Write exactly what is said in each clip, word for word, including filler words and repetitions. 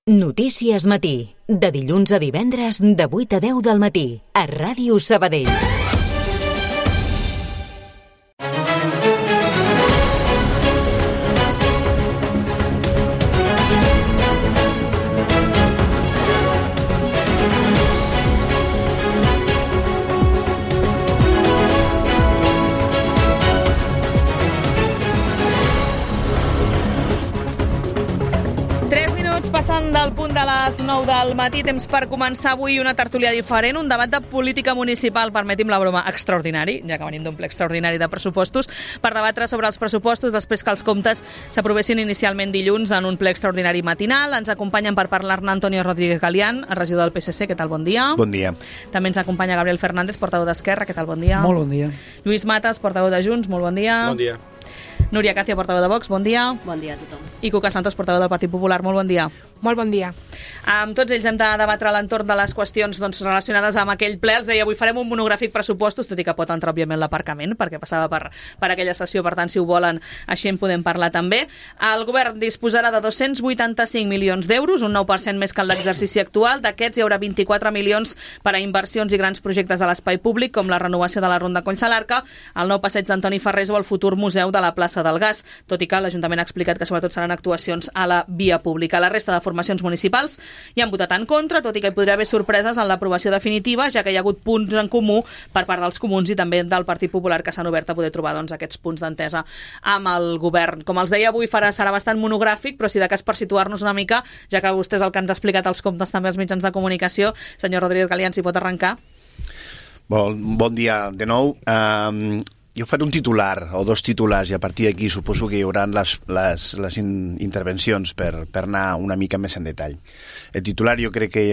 Notícies Matí, de dilluns a divendres de vuit a deu del matí, a Ràdio Sabadell. Del punt de les nou del matí, temps per començar avui una tertúlia diferent, un debat de política municipal, permeti'm la broma, extraordinari, ja que venim d'un ple extraordinari de pressupostos, per debatre sobre els pressupostos després que els comptes s'aprovessin inicialment dilluns en un ple extraordinari matinal. Ens acompanyen per parlar-ne Antonio Rodríguez Galián, regidor del P S C, què tal, bon dia? Bon dia. També ens acompanya Gabriel Fernández, portaveu d'Esquerra, què tal, bon dia? Molt bon dia. Lluís Matas, portaveu de Junts, molt bon dia. Bon dia. Núria Càcia, portaveu de Vox, bon dia. Bon dia a tothom. I Cuca Santos, portaveu del Partit Popular, molt bon dia. Molt bon dia. Amb tots ells hem de debatre a l'entorn de les qüestions doncs, relacionades amb aquell ple. Els deia, avui farem un monogràfic pressupostos, tot i que pot entrar, òbviament, l'aparcament, perquè passava per, per aquella sessió, per tant, si ho volen, així en podem parlar també. El govern disposarà de dos-cents vuitanta-cinc milions d'euros, un nou per cent més que en l'exercici actual. D'aquests hi haurà vint-i-quatre milions per a inversions i grans projectes a l'espai públic, com la renovació de la Ronda Collsalarca, el nou passeig d'Antoni Ferrés o el futur museu de la plaça del Gas, tot i que l'Ajuntament ha explicat que sobretot seran actuacions a la via pública. La resta de formacions municipals hi han votat en contra, tot i que hi podria haver sorpreses en l'aprovació definitiva, ja que hi ha hagut punts en comú per part dels comuns i també del Partit Popular, que s'han obert a poder trobar doncs, aquests punts d'entesa amb el govern. Com els deia, avui farà, serà bastant monogràfic, però si de cas per situar-nos una mica, ja que vostè és el que ens ha explicat els comptes també als mitjans de comunicació, senyor Rodríguez Galián, si pot arrencar. Bon, bon dia de nou. Um, jo faré un titular o dos titulars i a partir d'aquí suposo que hi haurà les, les, les in, intervencions per, per anar una mica més en detall. El titular jo crec que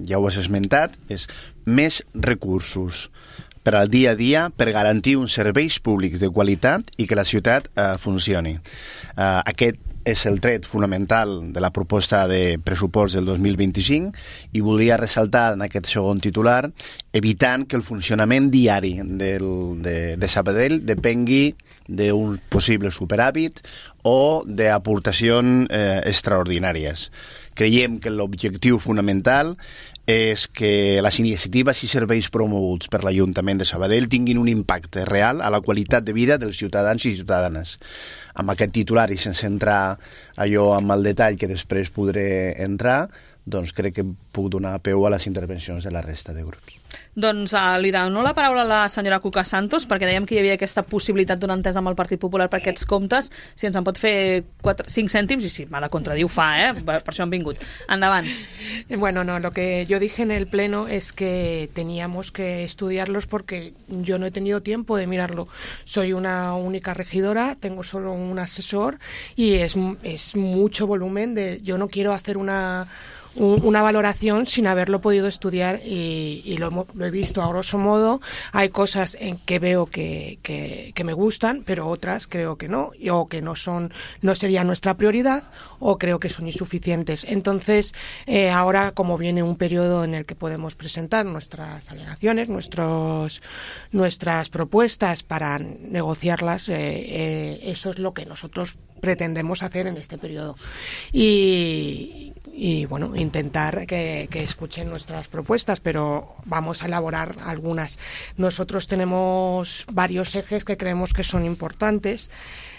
ja ho has esmentat, és més recursos per al dia a dia per garantir uns serveis públics de qualitat i que la ciutat eh, funcioni. Eh, aquest és el tret fonamental de la proposta de pressupost del dos mil vint-i-cinc i volia ressaltar en aquest segon titular evitant que el funcionament diari del, de, de Sabadell depengui d'un possible superàvit o d'aportacions eh, extraordinàries. Creiem que l'objectiu fonamental és que les iniciatives i serveis promoguts per l'Ajuntament de Sabadell tinguin un impacte real a la qualitat de vida dels ciutadans i ciutadanes. Amb aquest titular i sense entrar allò amb el detall que després podré entrar, doncs crec que puc donar peu a les intervencions de la resta de grups. Doncs uh, li dono la paraula a la senyora Cuca Santos, perquè dèiem que hi havia aquesta possibilitat d'una entesa amb el Partit Popular per aquests comptes. Si ens en pot fer cinc cèntims, i si m'ha de contradir ho fa, eh? Per això han vingut. Endavant. Bueno, no, lo que yo dije en el pleno es que teníamos que estudiarlos porque yo no he tenido tiempo de mirarlo. Soy una única regidora, tengo solo un asesor y es, es mucho volumen. De, yo no quiero hacer una... una valoración sin haberlo podido estudiar y, y lo, lo he visto a grosso modo. Hay cosas en que veo que, que, que me gustan, pero otras creo que no, o que no son, no sería nuestra prioridad, o creo que son insuficientes. Entonces, eh, ahora como viene un periodo en el que podemos presentar nuestras alegaciones, nuestros, nuestras propuestas para negociarlas, eh, eh, eso es lo que nosotros pretendemos hacer en este periodo. Y, y bueno, intentar que, que escuchen nuestras propuestas, pero vamos a elaborar algunas. Nosotros tenemos varios ejes que creemos que son importantes,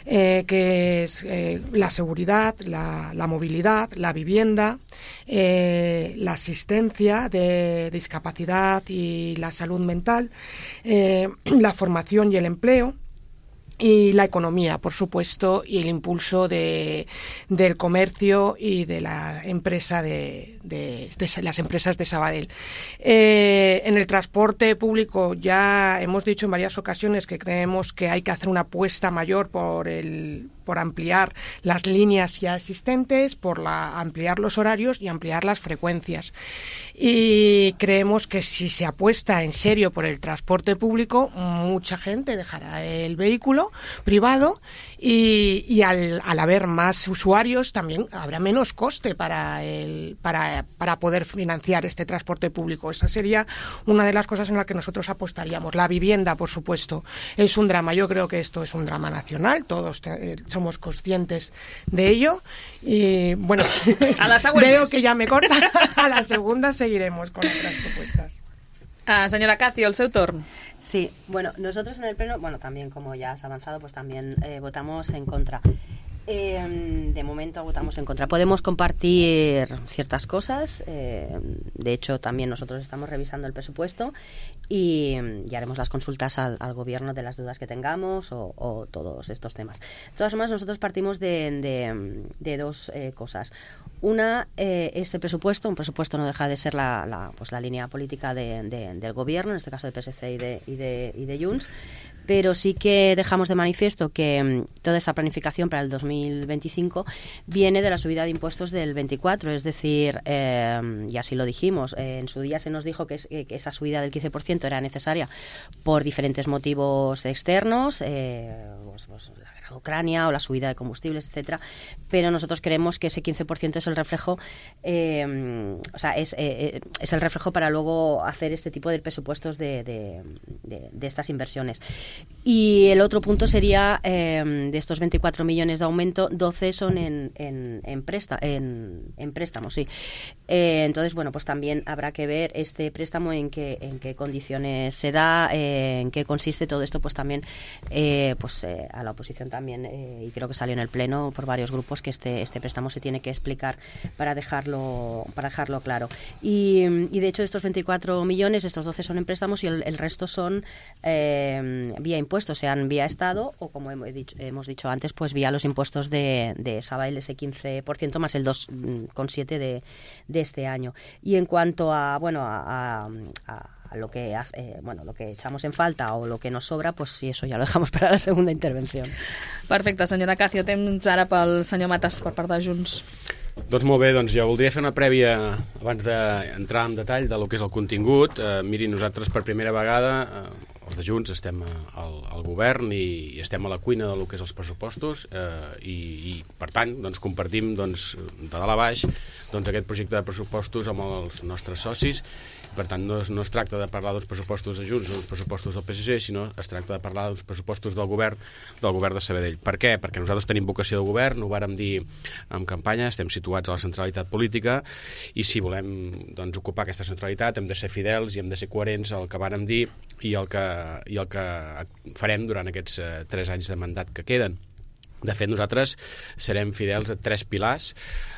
eh, que es eh, la seguridad, la, la movilidad, la vivienda, eh, la asistencia de discapacidad y la salud mental, eh, la formación y el empleo, y la economía, por supuesto, y el impulso de, del comercio y de la empresa de, de, de las empresas de Sabadell. Eh, en el transporte público ya hemos dicho en varias ocasiones que creemos que hay que hacer una apuesta mayor por el por ampliar las líneas ya existentes, por la, ampliar los horarios y ampliar las frecuencias. Y creemos que si se apuesta en serio por el transporte público, mucha gente dejará el vehículo privado y, y al, al haber más usuarios también habrá menos coste para, el, para, para poder financiar este transporte público. Esa sería una de las cosas en las que nosotros apostaríamos. La vivienda, por supuesto, es un drama. Yo creo que esto es un drama nacional, todos eh, somos conscientes de ello. Y bueno, a las veo que ya me corta. A la segunda seguiremos con otras propuestas. Ah, señora Cacio, el seu torn. Sí, bueno, nosotros en el pleno, bueno, también como ya has avanzado, pues también eh, votamos en contra. Eh, de momento votamos en contra. Podemos compartir ciertas cosas. Eh, de hecho, también nosotros estamos revisando el presupuesto y, y haremos las consultas al, al gobierno de las dudas que tengamos o, o todos estos temas. De todas formas, nosotros partimos de, de, de dos eh, cosas. Una, eh, este presupuesto, un presupuesto no deja de ser la, la, pues la línea política de, de, del gobierno, en este caso de P S C y de, y de, y de Junts, pero sí que dejamos de manifiesto que um, toda esa planificación para el dos mil veinticinco viene de la subida de impuestos del veinticuatro, es decir, eh, y así lo dijimos, eh, en su día se nos dijo que, es, que esa subida del quince por ciento era necesaria por diferentes motivos externos, eh, pues, pues, la guerra de Ucrania o la subida de combustibles, etcétera, pero nosotros creemos que ese quince por ciento es el reflejo, eh, o sea, es, eh, es el reflejo para luego hacer este tipo de presupuestos de, de, de, de estas inversiones. Y el otro punto sería, eh, de estos veinticuatro millones de aumento, doce son en, en, en, presta, en, en préstamos, sí. Eh, entonces, bueno, pues también habrá que ver este préstamo en qué, en qué condiciones se da, eh, en qué consiste todo esto, pues también eh, pues eh, a la oposición también, eh, y creo que salió en el Pleno por varios grupos, que este, este préstamo se tiene que explicar para dejarlo, para dejarlo claro. Y, y de hecho, estos veinticuatro millones, estos doce son en préstamos y el, el resto son eh, vía impuestos, sean vía Estado o, como hemos dicho, hemos dicho antes, pues vía los impuestos de, de Sabadell, ese quince por ciento más el dos coma siete por ciento de, de este año. Y en cuanto a, bueno, a, a, a lo que hace, eh, bueno, lo que echamos en falta o lo que nos sobra, pues sí, eso ya lo dejamos para la segunda intervención. Perfecte, senyora Cacio. Temps ara pel senyor Matas per part de Junts. Doncs molt bé, doncs jo voldria fer una prèvia abans d'entrar en detall de lo que és el contingut. Eh, miri, nosaltres per primera vegada, eh, els de Junts, estem al, al govern i, i estem a la cuina del que és els pressupostos eh, i, i per tant doncs, compartim doncs, de dalt a baix doncs, aquest projecte de pressupostos amb els nostres socis. Per tant, no es, no es tracta de parlar dels pressupostos de Junts o dels pressupostos del P S C, sinó es tracta de parlar dels pressupostos del govern del govern de Sabadell. Per què? Perquè nosaltres tenim vocació de govern, ho vàrem dir en campanya, estem situats a la centralitat política i si volem doncs, ocupar aquesta centralitat hem de ser fidels i hem de ser coherents al que vàrem dir i el que, i el que farem durant aquests eh, tres anys de mandat que queden. De fet, nosaltres serem fidels a tres pilars,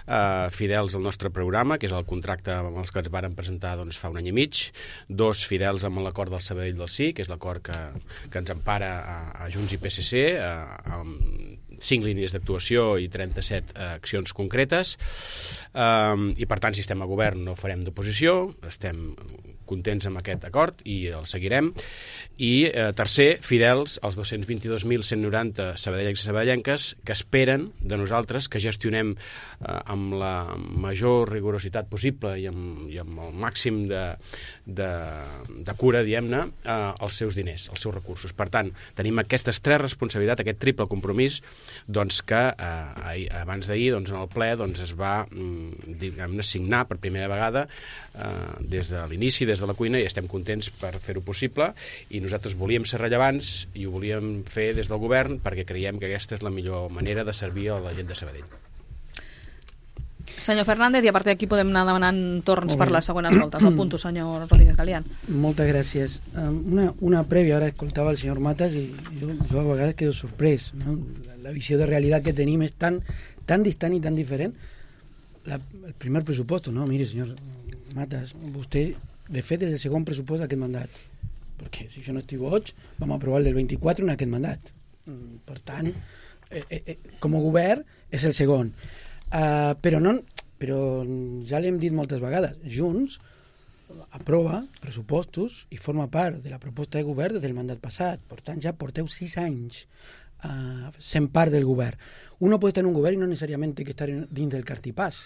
eh, fidels al nostre programa, que és el contracte amb els que ens varen presentar doncs, fa un any i mig, dos fidels amb l'acord del Sabadell del Sí, que és l'acord que, que ens empara a, a Junts i P S C, eh, amb cinc línies d'actuació i trenta-set eh, accions concretes, eh, i per tant, si estem a govern no farem d'oposició, estem contents amb aquest acord i el seguirem. I eh, tercer, fidels als dos-cents vint-i-dos mil cent noranta sabadellencs i sabadellenques que esperen de nosaltres que gestionem eh, amb la major rigorositat possible i amb, i amb el màxim de, de, de cura, diguem-ne, eh, els seus diners, els seus recursos. Per tant, tenim aquestes tres responsabilitats, aquest triple compromís doncs, que eh, ahir, abans d'ahir doncs, en el ple doncs, es va diguem-ne, signar per primera vegada eh, des de l'inici, des de la cuina, i estem contents per fer-ho possible i nosaltres volíem ser rellevants i ho volíem fer des del govern perquè creiem que aquesta és la millor manera de servir a la gent de Sabadell. Senyor Fernández, i a partir d'aquí podem anar demanant torns per les següents voltes. El punto, senyor Rodríguez Galián. Moltes gràcies. Una, una prèvia, ara escoltava el senyor Matas i jo, jo a vegades quedo sorprès, no? La, la visió de realitat que tenim és tan, tan distant i tan diferent. La, el primer pressupost, no, mire, senyor Matas, vostè, de fet, és el segon pressupost d'aquest mandat. Perquè, si jo no estic boig, vam aprovar el del vint-i-quatre en aquest mandat. Per tant, eh, eh, com a govern, és el segon. Uh, però, no, però ja l'hem dit moltes vegades, Junts aprova pressupostos i forma part de la proposta de govern des del mandat passat. Per tant, ja porteu sis anys uh, sent part del govern. Uno puede estar en un govern i no necessàriament té que estar dins del cartipàs.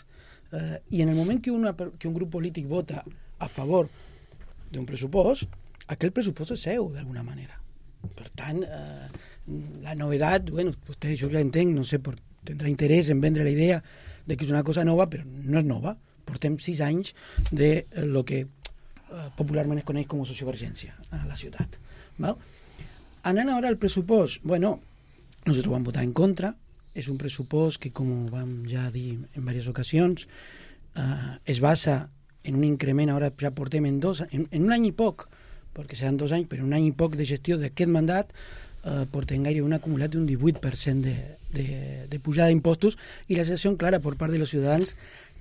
Uh, I en el moment que, una, que un grup polític vota a favor d'un pressupost, aquell pressupost és seu, d'alguna manera. Per tant, eh, la novedat, bueno, vostè això ja entenc, no sé, por, tindrà interès en vendre la idea de que és una cosa nova, però no és nova. Portem sis anys de lo que eh, popularment es coneix com a sociovergència a la ciutat. Val? Anant ara al pressupost, bueno, nosaltres vam votar en contra, és un pressupost que, com vam ja dir en diverses ocasions, eh, es basa en un increment, ara ja portem en dos, en, en un any i poc, perquè seran dos anys, però un any i poc de gestió d'aquest mandat, eh, portem gairebé un acumulat d'un divuit per cent de, de, de pujada d'impostos i la sensació clara per part dels ciutadans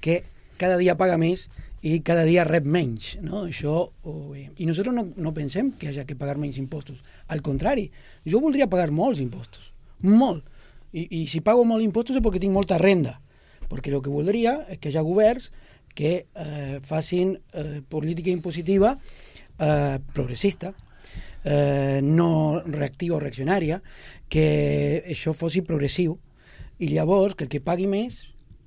que cada dia paga més i cada dia rep menys, no? Això ho veiem. I nosaltres no, no pensem que hagi que pagar menys impostos. Al contrari, jo voldria pagar molts impostos, molt. I, i si pago molts impostos és perquè tinc molta renda, perquè el que voldria és que hi ha governs que eh, facin eh, política impositiva eh, progressista, eh, no reactiva o reaccionària, que això fos progressiu, i llavors que el que pagui més,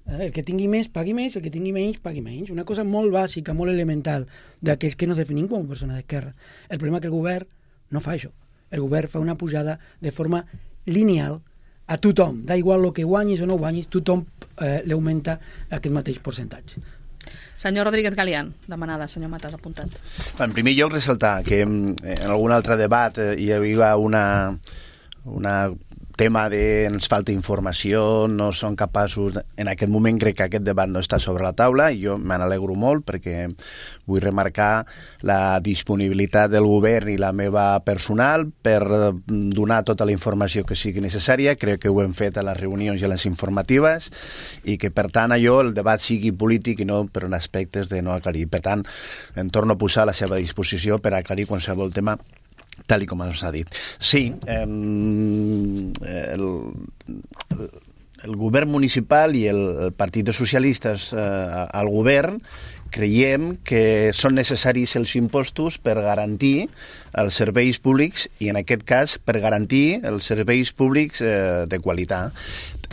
eh, el que tingui més pagui més, el que tingui menys pagui menys. Una cosa molt bàsica, molt elemental d'aquells que nos definim com a persones d'esquerra. El problema és que el govern no fa això. El govern fa una pujada de forma lineal a tothom, da igual el que guanyis o no guanyis, tothom eh, l'augmenta aquest mateix percentatge. Senyor Rodríguez Galián, demanada, senyor Matas, apuntat. En primer lloc, ressaltar que en algun altre debat hi havia una, una tema de ens falta informació, no són capaços... En aquest moment crec que aquest debat no està sobre la taula i jo me n'alegro molt perquè vull remarcar la disponibilitat del govern i la meva personal per donar tota la informació que sigui necessària. Crec que ho hem fet a les reunions i a les informatives i que, per tant, allò, el debat sigui polític i no per aspectes de no aclarir. Per tant, em torno a posar a la seva disposició per aclarir qualsevol tema tal i com s'ha dit. Sí, eh, el, el govern municipal i el, el Partit de Socialistes eh, al govern creiem que són necessaris els impostos per garantir els serveis públics i, en aquest cas, per garantir els serveis públics eh, de qualitat.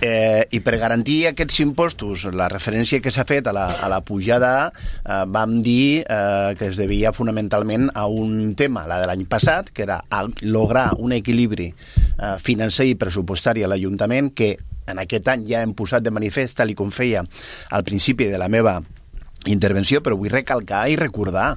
Eh, I per garantir aquests impostos, la referència que s'ha fet a la, a la pujada, eh, vam dir eh, que es devia fonamentalment a un tema, la de l'any passat, que era lograr un equilibri eh, financer i pressupostari a l'Ajuntament, que en aquest any ja hem posat de manifest, tal i com feia al principi de la meva intervenció, però vull recalcar i recordar,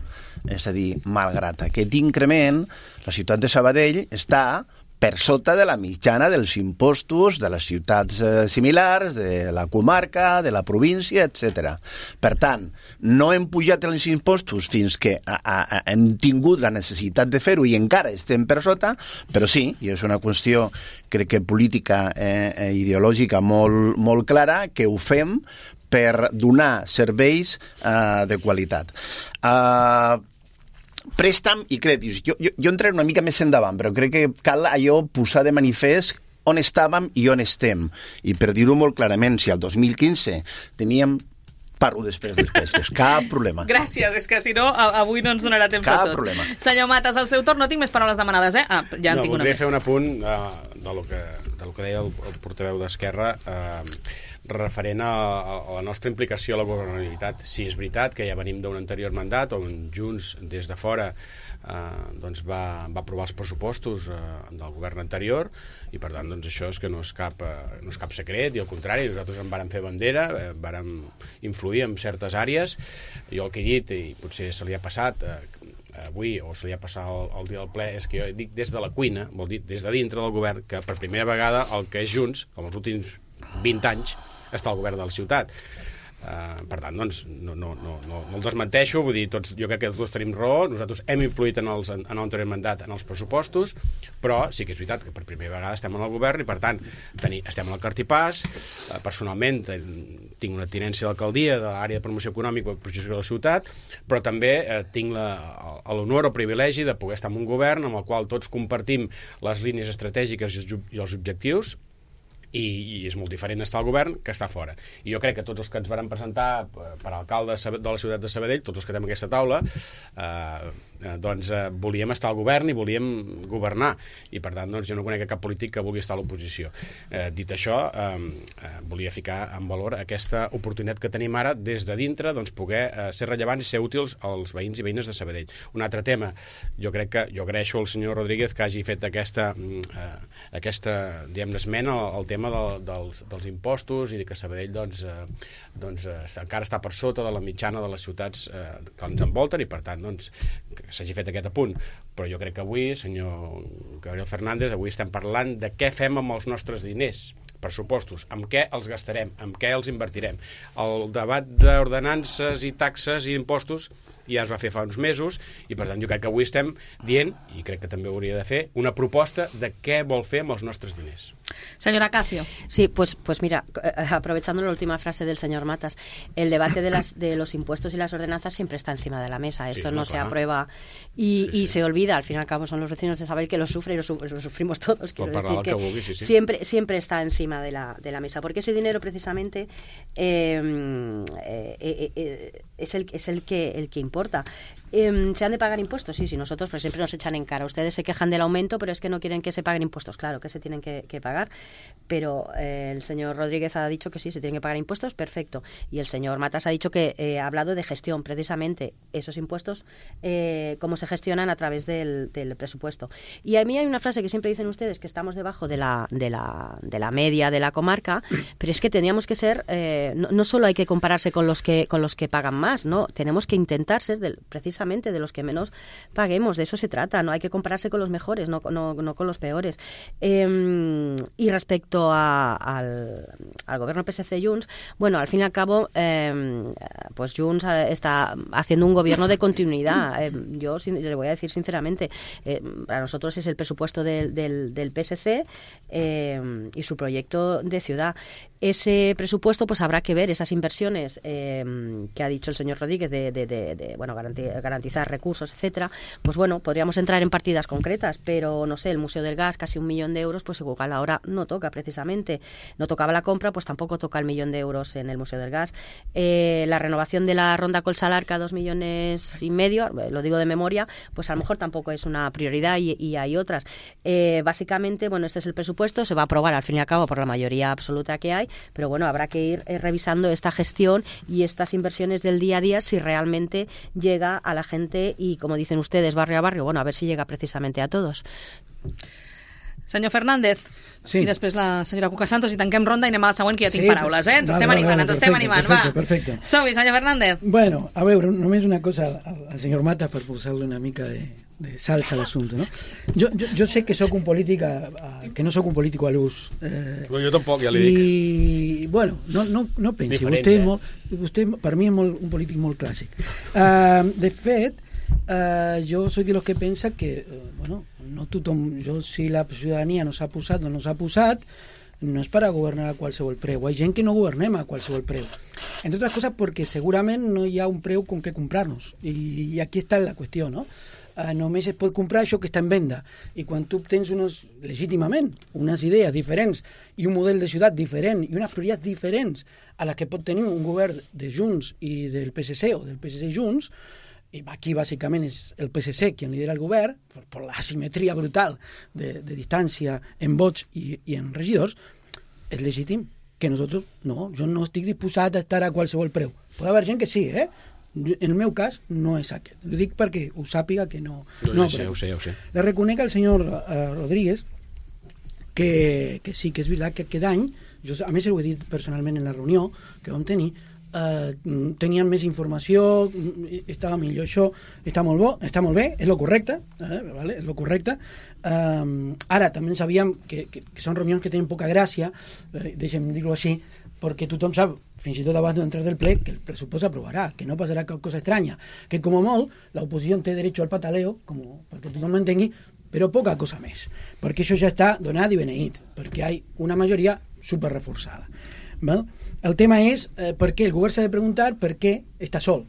és a dir, malgrat aquest increment, la ciutat de Sabadell està per sota de la mitjana dels impostos de les ciutats eh, similars, de la comarca, de la província, etcètera. Per tant, no hem pujat els impostos fins que a, a, a, hem tingut la necessitat de fer-ho i encara estem per sota, però sí, i és una qüestió, crec que política eh, ideològica molt, molt clara, que ho fem per donar serveis eh, de qualitat. Eh, Préstec i crèdits. Jo, jo, jo entraré una mica més endavant, però crec que cal allò posar de manifest on estàvem i on estem. I per dir-ho molt clarament, si el dos mil quinze teníem... Parlo després dels préstecs, cap problema. Gràcies, és que si no, avui no ens donarà temps cap de tot. Problema. Senyor Matas, al seu torn, no tinc més paraules demanades, eh? Ah, ja en no, tinc una més. No, voldria fer un apunt uh, de, lo que, de lo que deia el, el portaveu d'Esquerra uh, referent a, a la nostra implicació a la governabilitat. Sí, és veritat que ja venim d'un anterior mandat on Junts, des de fora, eh, doncs va, va aprovar els pressupostos eh, del govern anterior i, per tant, doncs això és que no és cap, eh, no és cap secret i, al contrari, nosaltres en vàrem fer bandera, eh, vàrem influir en certes àrees. Jo el que he dit, i potser se li ha passat eh, avui, o se li ha passat el, el dia del ple, és que jo dic des de la cuina, vol dir des de dintre del govern, que per primera vegada el que és Junts, com els últims vint anys, està al govern de la ciutat. Uh, per tant, doncs, no, no, no, no, no el desmenteixo, vull dir, tots, jo crec que els dos tenim raó, nosaltres hem influït en, els, en, en l'anterior mandat en els pressupostos, però sí que és veritat que per primera vegada estem en el govern i, per tant, teni, estem al cartipàs. Uh, personalment tinc una tinència d'alcaldia de l'àrea de promoció econòmica i projecció de la ciutat, però també uh, tinc l'honor o privilegi de poder estar en un govern amb el qual tots compartim les línies estratègiques i els, i els objectius. I, i és molt diferent estar al govern que estar fora. I jo crec que tots els que ens varen presentar per alcalde de la ciutat de Sabadell, tots els que tenim aquesta taula, eh, eh, doncs eh, volíem estar al govern i volíem governar, i per tant doncs, jo no conec cap polític que vulgui estar a l'oposició. Eh, dit això, eh, eh, volia ficar en valor aquesta oportunitat que tenim ara des de dintre, doncs, poder eh, ser rellevants i ser útils als veïns i veïnes de Sabadell. Un altre tema, jo crec que jo agraeixo al senyor Rodríguez que hagi fet aquesta, eh, aquesta diguem-ne, esmena al, al tema del, dels, dels impostos i que Sabadell doncs, eh, doncs, eh, encara està per sota de la mitjana de les ciutats eh, que ens envolten, i per tant doncs, que s'hagi fet aquest apunt. Però jo crec que avui, senyor Gabriel Fernández, avui estem parlant de què fem amb els nostres diners, pressupostos, amb què els gastarem, amb què els invertirem. El debat d'ordenances i taxes i impostos ja es va fer fa uns mesos, i per tant jo crec que avui estem dient, i crec que també hauria de fer, una proposta de què vol fer amb els nostres diners. Señora Cacio. Sí, pues, pues mira, aprovechando la última frase del señor Matas, el debate de, las, de los impuestos y las ordenanzas siempre está encima de la mesa. Esto sí, no, no se aprueba y, sí, sí. y se olvida. Al fin y al cabo son los vecinos de Sabadell que lo sufren y lo, su lo sufrimos todos. Quiero decir que, que vulgui, sí, sí. Siempre, siempre está encima de la, de la mesa, porque ese dinero precisamente eh, eh, eh, es, el, es el, que, el que importa. Eh, ¿Se han de pagar impuestos? Sí, sí, nosotros pues siempre nos echan en cara. Ustedes se quejan del aumento, pero es que no quieren que se paguen impuestos. Claro que se tienen que, que pagar, pero eh, el señor Rodríguez ha dicho que sí, se tienen que pagar impuestos, perfecto. Y el señor Matas ha dicho que eh, ha hablado de gestión, precisamente esos impuestos, eh, cómo se gestionan a través del, del presupuesto. Y a mí hay una frase que siempre dicen ustedes, que estamos debajo de la, de la, de la media de la comarca, pero es que teníamos que ser, eh, no, no solo hay que compararse con los que, con los que pagan más, ¿no? Tenemos que intentar ser del, precisamente de los que menos paguemos, de eso se trata, no hay que compararse con los mejores, no, no, no con los peores. Eh, y respecto a, al, al gobierno P S C-Junts, bueno, al fin y al cabo, eh, pues Junts está haciendo un gobierno de continuidad. Eh, yo sin, le voy a decir sinceramente, eh, para nosotros es el presupuesto del, del, del P S C eh, y su proyecto de ciudad. Ese presupuesto, pues habrá que ver esas inversiones eh, que ha dicho el señor Rodríguez de, de, de, de bueno, garantizar, garantizar recursos, etcétera. Pues bueno, podríamos entrar en partidas concretas, pero no sé, el Museo del Gas, casi un millón de euros, pues igual ahora no toca precisamente. No tocaba la compra, pues tampoco toca el millón de euros en el Museo del Gas. Eh, la renovación de la Ronda Colsalarca, dos millones y medio, lo digo de memoria, pues a lo mejor tampoco es una prioridad y, y hay otras. Eh, básicamente, bueno, este es el presupuesto, se va a aprobar al fin y al cabo por la mayoría absoluta que hay, pero bueno, habrá que ir eh, revisando esta gestión y estas inversiones del día a día si realmente llega a la gente y, como dicen ustedes, barrio a barrio, bueno, a ver si llega precisamente a todos. Senyor Fernández, sí. I després la senyora Cuca Santos, i tanquem ronda i anem a la següent, que ja tinc sí, paraules, eh? Ens vale, estem animant, vale, ens estem animant, perfecte, va. Perfecte. Som-hi, senyor Fernández. Bueno, a veure, només una cosa al, al senyor Matas per posar-li una mica de, de salsa a l'assumpte, no? Jo, jo, jo sé que sóc un polític, a, que no sóc un polític a l'ús. Eh, no, jo tampoc, ja li dic. I, bueno, no, no, no pensi, Diferent, vostè, eh? és molt, vostè per mi és molt, un polític molt clàssic. Uh, de fet, Uh, jo soy de los que pensa que uh, bueno, no tothom, jo si la ciutadania no s'ha posat o no s'ha posat, no és per a governar a qualsevol preu. Hi ha gent que no governem a qualsevol preu, entre altres coses perquè segurament no hi ha un preu con què comprar-nos, i, i aquí està la qüestió, no? Uh, només es pot comprar això que està en venda, i quan tu tens unes, legítimament unes idees diferents i un model de ciutat diferent i unes prioritats diferents a les que pot tenir un govern de Junts i del P S C o del P S C Junts, i aquí bàsicament és el P S C qui lidera el govern, per, per la asimetria brutal de, de distància en vots i, i en regidors, és legítim que nosaltres, no, jo no estic disposat a estar a qualsevol preu. Pot haver gent que sí, eh? En el meu cas no és aquest. Ho dic perquè ho sàpiga que no... No, no ja sé, ho sé, ho sé. Le reconec al senyor uh, Rodríguez que, que sí, que és veritat que aquest any, jo, a més ho he dit personalment en la reunió que vam tenir, Uh, tenien més informació, estava millor, això està molt bo, està molt bé, és lo correcte, eh, vale? És lo correcte. Uh, ara també sabíem que, que, que són reunions que tenen poca gràcia, eh, deixem dir-ho així, perquè tothom sap, fins i tot abans d'entrar del ple, que el pressupost s'aprovarà, que no passarà cap cosa estranya, que com a molt l'oposició té dret al pataleo, com, perquè tothom m'entengui, però poca cosa més, perquè això ja està donat i beneït, perquè hi ha una majoria super reforçada. Val? El tema és eh, per què el govern s'ha de preguntar per què està sol,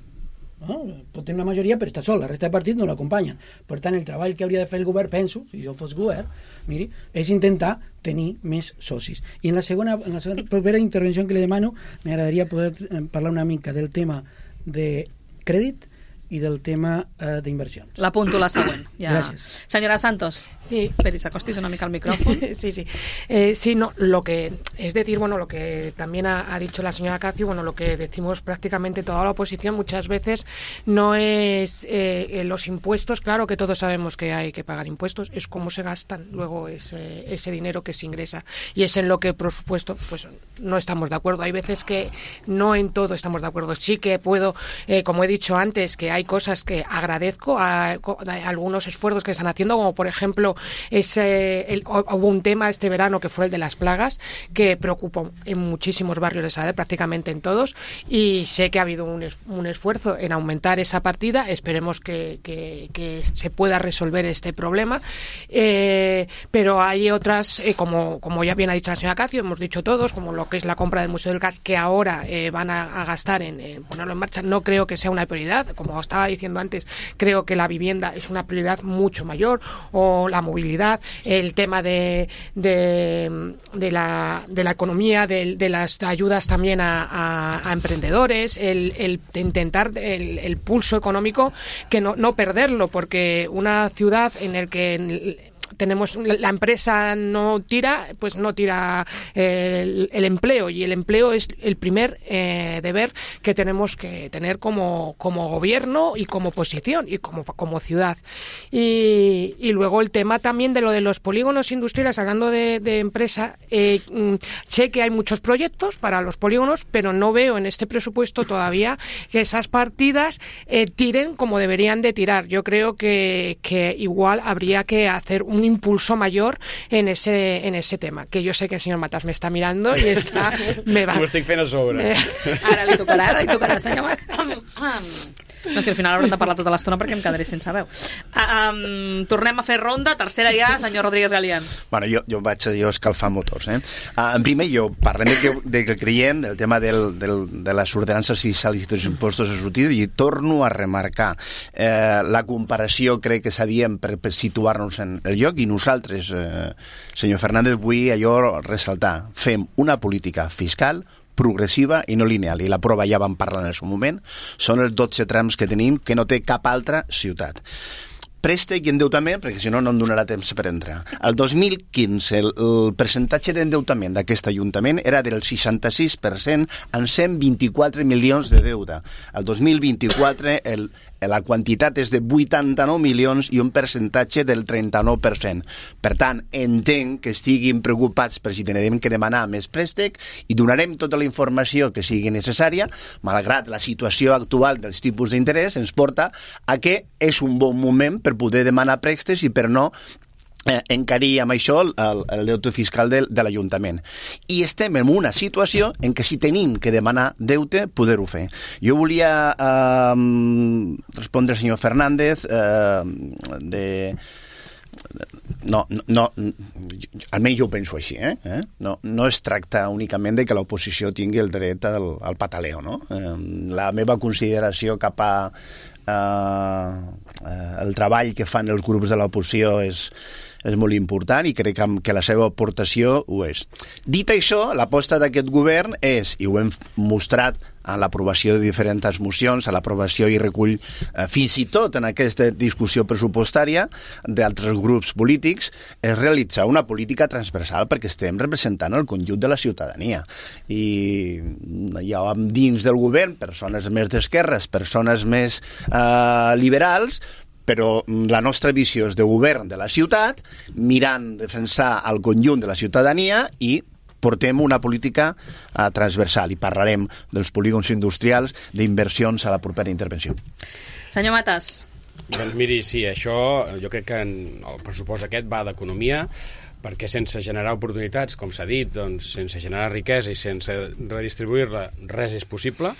no? Pot tenir una majoria però està sol, la resta de partits no l'acompanyen. Per tant, el treball que hauria de fer el govern, penso, si jo fos govern, miri, és intentar tenir més socis. I en la segona, en la segona propera intervenció que li demano m'agradaria poder parlar una mica del tema de crèdit i del tema eh, d'inversions. L'apunto la següent. Ja. Gràcies. Senyora Santos, Sí. esperi, s'acostis una mica al micrófono. Sí, sí. Eh, sí, no, lo que es decir, bueno, lo que también ha, ha dicho la señora Cacio, bueno, lo que decimos prácticamente toda la oposición muchas veces no es eh, los impuestos, claro que todos sabemos que hay que pagar impuestos, es cómo se gastan luego ese, ese dinero que se ingresa y es en lo que, por supuesto, pues no estamos de acuerdo. Hay veces que no en todo estamos de acuerdo. Sí que puedo, eh, como he dicho antes, que hay cosas que agradezco a, a algunos esfuerzos que están haciendo, como por ejemplo ese, el, hubo un tema este verano que fue el de las plagas, que preocupó en muchísimos barrios de Sabadell, prácticamente en todos, y sé que ha habido un, es, un esfuerzo en aumentar esa partida. Esperemos que, que, que se pueda resolver este problema, eh, pero hay otras, eh, como, como ya bien ha dicho la señora Cacio, hemos dicho todos, como lo que es la compra del Museo del Gas, que ahora eh, van a, a gastar en, en ponerlo en marcha. No creo que sea una prioridad, como estaba diciendo antes, creo que la vivienda es una prioridad mucho mayor, o la movilidad, el tema de, de, de, la, de la economía, de, de las ayudas también a, a, a emprendedores, el, el intentar el, el pulso económico, que no, no perderlo, porque una ciudad en el que tenemos la empresa no tira, pues no tira eh, el, el empleo, y el empleo es el primer eh, deber que tenemos que tener como, como gobierno y como oposición y como, como ciudad. Y, y luego el tema también de lo de los polígonos industriales, hablando de, de empresa, eh, sé que hay muchos proyectos para los polígonos, pero no veo en este presupuesto todavía que esas partidas eh, tiren como deberían de tirar. Yo creo que, que igual habría que hacer un impulso mayor en ese en ese tema, que yo sé que el señor Matas me está mirando i està... Me va. Ho estic fent a sobre. Ara li tocarà, ara li tocarà, senyor Matas. No sé, al final haurem de parlar tota l'estona perquè em quedaré sense veu. Uh, um, tornem a fer ronda, tercera ja, senyor Rodríguez Galián. Bueno, jo, jo vaig jo escalfar motors. Eh? Uh, en primer lloc, parlem de que, de que creiem del tema del, del, de les ordenances fiscals i dels impostos a sortir, i torno a remarcar eh, la comparació, crec que s'havia per, per situar-nos en el lloc, i nosaltres, eh, senyor Fernández, vull allò ressaltar. Fem una política fiscal progressiva i no lineal, i la prova ja vam parlar en el seu moment, són els dotze trams que tenim que no té cap altra ciutat. Préstec i endeutament, perquè si no, no em donarà temps per entrar. El dos mil quinze, el, el percentatge d'endeutament d'aquest ajuntament era del seixanta-sis per cent en cent vint-i-quatre milions de deute. El dos mil vint-i-quatre, el, la quantitat és de vuitanta-nou milions i un percentatge del trenta-nou per cent. Per tant, entenc que estiguin preocupats per si tenim que demanar més préstec, i donarem tota la informació que sigui necessària, malgrat la situació actual dels tipus d'interès ens porta a que és un bon moment per poder demanar préstecs i per no eh, encarir amb això el, el deute fiscal de, de l'Ajuntament. I estem en una situació en què si tenim que demanar deute, poder-ho fer. Jo volia eh, respondre al senyor Fernández eh, de... No, no, no, almenys jo ho penso així, eh? No, no es tracta únicament de que l'oposició tingui el dret al, al pataleo, no? Eh, la meva consideració cap a eh, eh, el treball que fan els grups de l'oposició és, és molt important, i crec que, que la seva aportació ho és. Dit això, l'aposta d'aquest govern és, i ho hem mostrat a l'aprovació de diferents mocions, a l'aprovació i recull eh, fins i tot en aquesta discussió pressupostària d'altres grups polítics, és realitzar una política transversal, perquè estem representant el conjunt de la ciutadania. I hi ha dins del govern persones més d'esquerres, persones més eh, liberals, però la nostra visió és de govern de la ciutat, mirant defensar el conjunt de la ciutadania, i portem una política uh, transversal, i parlarem dels polígons industrials, d'inversions a la propera intervenció. Senyor Matas. Doncs miri, sí, això jo crec que el pressupost aquest va d'economia, perquè sense generar oportunitats, com s'ha dit, doncs, sense generar riquesa i sense redistribuir-la, res és possible.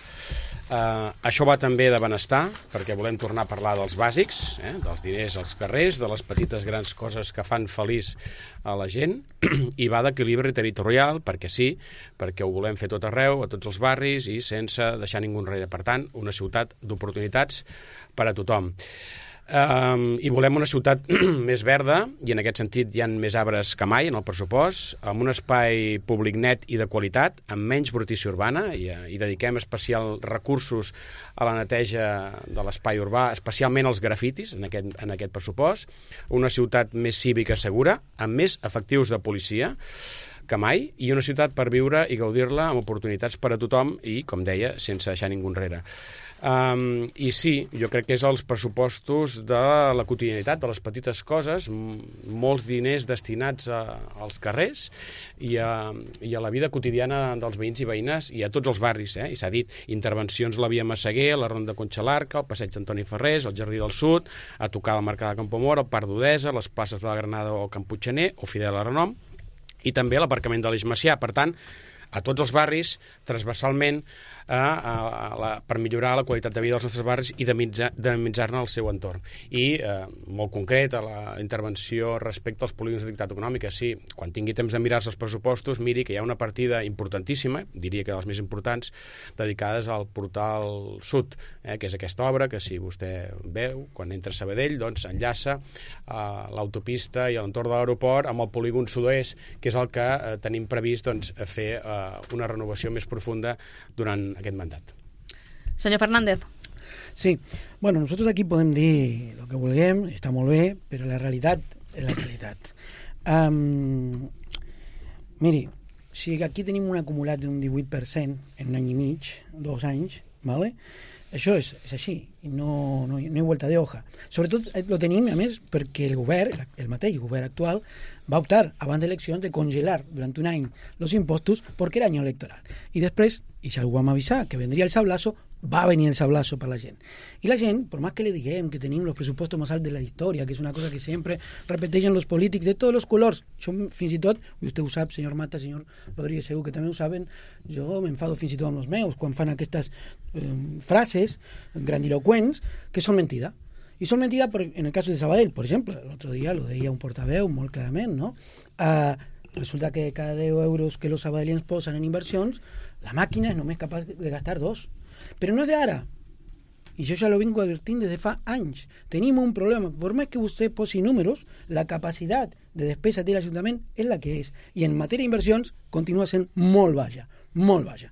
Uh, això va també de benestar, perquè volem tornar a parlar dels bàsics, eh, dels diners als carrers, de les petites grans coses que fan feliç a la gent, i va d'equilibri territorial, perquè sí, perquè ho volem fer tot arreu, a tots els barris, i sense deixar ningú enrere. Per tant, una ciutat d'oportunitats per a tothom. Um, I volem una ciutat més verda, i en aquest sentit hi ha més arbres que mai en el pressupost, amb un espai públic net i de qualitat, amb menys brutícia urbana, i, i dediquem especial recursos a la neteja de l'espai urbà, especialment als grafitis en aquest, en aquest pressupost, una ciutat més cívica segura, amb més efectius de policia que mai, i una ciutat per viure i gaudir-la amb oportunitats per a tothom i, com deia, sense deixar ningú enrere. Um, I sí, jo crec que és els pressupostos de la quotidianitat, de les petites coses, molts diners destinats a, als carrers i a, i a la vida quotidiana dels veïns i veïnes i a tots els barris, eh? I s'ha dit, intervencions a la Via Massaguer, a la Ronda Conxalarca, al Passeig d'Antoni Ferrés, al Jardí del Sud, a tocar la Mercada de Campomor, al Parc d'Odesa, les places de la Granada o Camp Puiggener o Fidel Aranom, i també l'aparcament de l'Eix Macià. Per tant, a tots els barris, transversalment, a, a, a la, per millorar la qualitat de vida dels nostres barris i dinamitzar-ne el seu entorn. I, eh, molt concret, a la intervenció respecte als polígons d'activitat econòmica, sí, quan tingui temps de mirar-se els pressupostos, miri que hi ha una partida importantíssima, diria que de les més importants, dedicades al portal sud, eh, que és aquesta obra que, si vostè veu, quan entra a Sabadell, doncs enllaça a l'autopista i a l'entorn de l'aeroport amb el polígon sud-oest, que és el que eh, tenim previst doncs, fer eh, una renovació més profunda durant aquest mandat. Senyor Fernández. Sí, bueno, nosotros aquí podem dir el que vulguem, està molt bé, però la realitat és la realitat. Um, miri, si aquí tenim un acumulat d'un divuit per cent en un any i mig, dos anys, ¿vale? Això és, és així, i no, no, no hi ha vuelta de hoja. Sobretot lo tenim, a més, perquè el govern, el mateix govern actual, va optar, abans d'eleccions, de congelar durant un any els impostos perquè era any electoral. I després, i ja ho vam avisar, que vendria el sablazo, va venir el sablazo per la gent. I la gent, per més que li diguem que tenim els pressupostos més alts de la història, que és una cosa que sempre repeteixen els polítics de tots els colors, jo fins i tot, i vostè ho sap, senyor Mata, senyor Rodríguez, segur que també ho saben, jo m'enfado fins i tot amb els meus, quan fan aquestes eh, frases grandiloquents que són mentida. I són mentida, per, en el cas de Sabadell, per exemple, l'altre dia lo deia un portaveu molt clarament, no? Uh, resulta que cada deu euros que els sabadellens posen en inversions, la màquina és només capaç de gastar dos. Però no és d'ara. I jo ja lo vinc advertint des de fa anys. Tenim un problema. Per més que vostè posi números, la capacitat de despesa de l'Ajuntament és la que és. I en matèria d'inversions continua sent molt baixa. Molt baixa.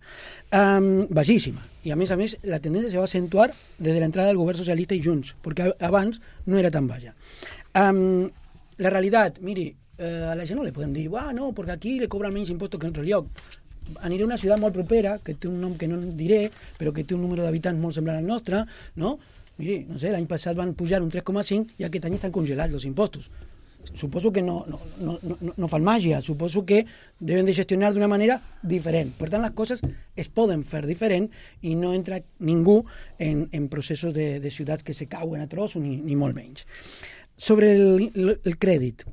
Um, baixíssima. I a més a més, la tendència se va acentuar des de l'entrada del govern socialista i Junts, perquè abans no era tan baixa. Um, la realitat, miri, uh, a la gent no li podem dir, ah, no, perquè aquí li cobren menys impostos que en altre lloc. Aniré a una ciutat molt propera, que té un nom que no diré, però que té un número d'habitants molt semblant al nostre, no? Miri, no sé, l'any passat van pujar un tres coma cinc i aquest any estan congelats els impostos. Suposo que no, no, no, no, no fan màgia, suposo que deben de gestionar d'una manera diferent. Per tant, les coses es poden fer diferent i no entra ningú en, en processos de, de ciutats que se cauen a trossos, ni, ni molt menys. Sobre el, el, el crèdit,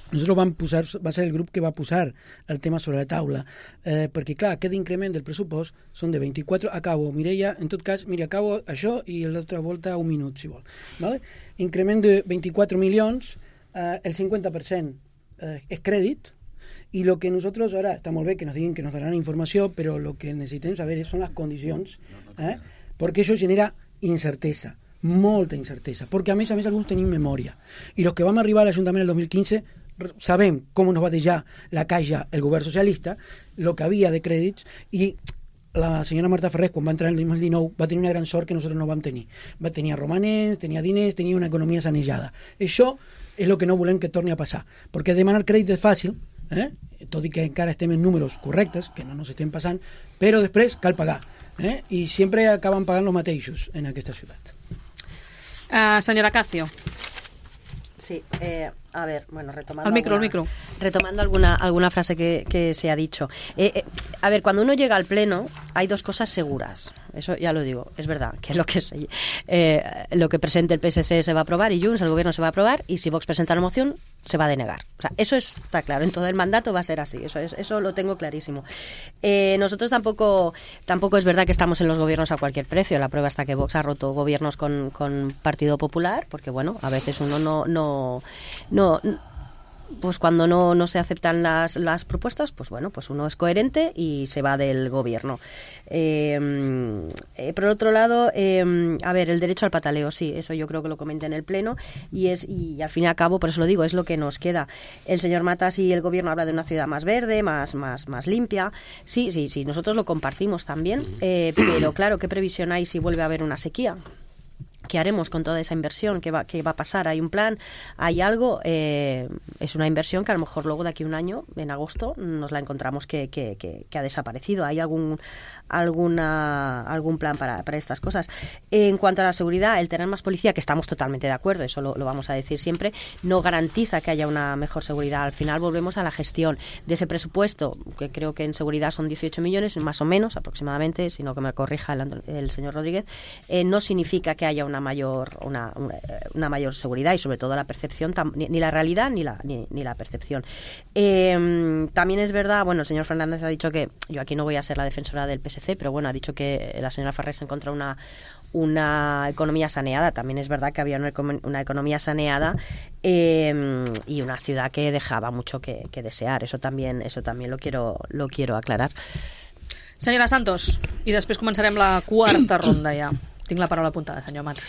nosaltres vam posar, va ser el grup que va posar el tema sobre la taula, eh, perquè clar, aquest increment del pressupost són de vint-i-quatre, acabo, Mireia, en tot cas, mira, acabo això i l'altra volta un minut, si vol. ¿Vale? Increment de vint-i-quatre milions, eh, el cinquanta per cent eh, és crèdit, i el que nosaltres, ara, està molt bé que nos diguin que nos daran informació, però el que necessitem saber són les condicions, eh, perquè això genera incertesa, molta incertesa, perquè a més a més alguns tenim memòria, i els que vam arribar a l'Ajuntament el dos mil quinze sabem com nos va deixar la caixa el govern socialista, el que havia de crèdits, i la senyora Marta Ferrés, quan va entrar en el dos mil dinou, va tenir una gran sort que nosaltres no vam tenir. Va tenir romanents, tenia diners, tenia una economia sanejada. Això és el que no volem que torni a passar, perquè demanar crèdit és fàcil, eh? Tot i que encara estem en números correctes, que no ens estem passant, però després cal pagar, eh? I sempre acaben pagant els mateixos en aquesta ciutat. Uh, senyora Cacio. Sí, eh, a ver, bueno, retomando... Al micro, alguna, al micro. Retomando alguna, alguna frase que, que se ha dicho. Eh, eh, a ver, cuando uno llega al pleno, hay dos cosas seguras. Eso ya lo digo, es verdad, que lo que, se, eh, lo que presente el P S C se va a aprobar y Junts, el gobierno se va a aprobar, y si Vox presenta la moción, se va a denegar. O sea, eso es, está claro, en todo el mandato va a ser así, eso, es, eso lo tengo clarísimo. Eh, nosotros tampoco, tampoco es verdad que estamos en los gobiernos a cualquier precio. La prueba está que Vox ha roto gobiernos con, con Partido Popular, porque bueno, a veces uno no... no, no pues cuando no, no se aceptan las, las propuestas, pues bueno, pues uno es coherente y se va del gobierno. Eh, eh, por otro lado, eh, a ver, el derecho al pataleo, sí, eso yo creo que lo comenté en el Pleno, y es y al fin y al cabo, por eso lo digo, es lo que nos queda. El señor Matas y el gobierno habla de una ciudad más verde, más, más, más limpia. Sí, sí, sí, nosotros lo compartimos también, eh, pero claro, ¿qué previsión hay si vuelve a haber una sequía? ¿Qué haremos con toda esa inversión? ¿Qué va, qué va a pasar? ¿Hay un plan? ¿Hay algo? Eh, es una inversión que a lo mejor luego de aquí a un año, en agosto, nos la encontramos que, que, que, que ha desaparecido. ¿Hay algún alguna algún plan para, para estas cosas? En cuanto a la seguridad, el tener más policía, que estamos totalmente de acuerdo, eso lo, lo vamos a decir siempre, no garantiza que haya una mejor seguridad. Al final volvemos a la gestión de ese presupuesto, que creo que en seguridad son dieciocho millones, más o menos, aproximadamente, sino que me corrija el, el señor Rodríguez, eh, no significa que haya una mayor una, una, una mayor seguridad y sobre todo la percepción, tam, ni, ni la realidad ni la ni, ni la percepción. Eh, también es verdad, bueno, el señor Fernández ha dicho que, yo aquí no voy a ser la defensora del P S C, pero bueno, ha dicho que la señora Farrés encontró una una economía saneada. También es verdad que había una, una economía saneada eh, y una ciudad que dejaba mucho que, que desear. Eso también eso también lo quiero lo quiero aclarar. Senyora Santos, i després començarem la quarta ronda ja. Tengo la palabra apuntada, señor Matas.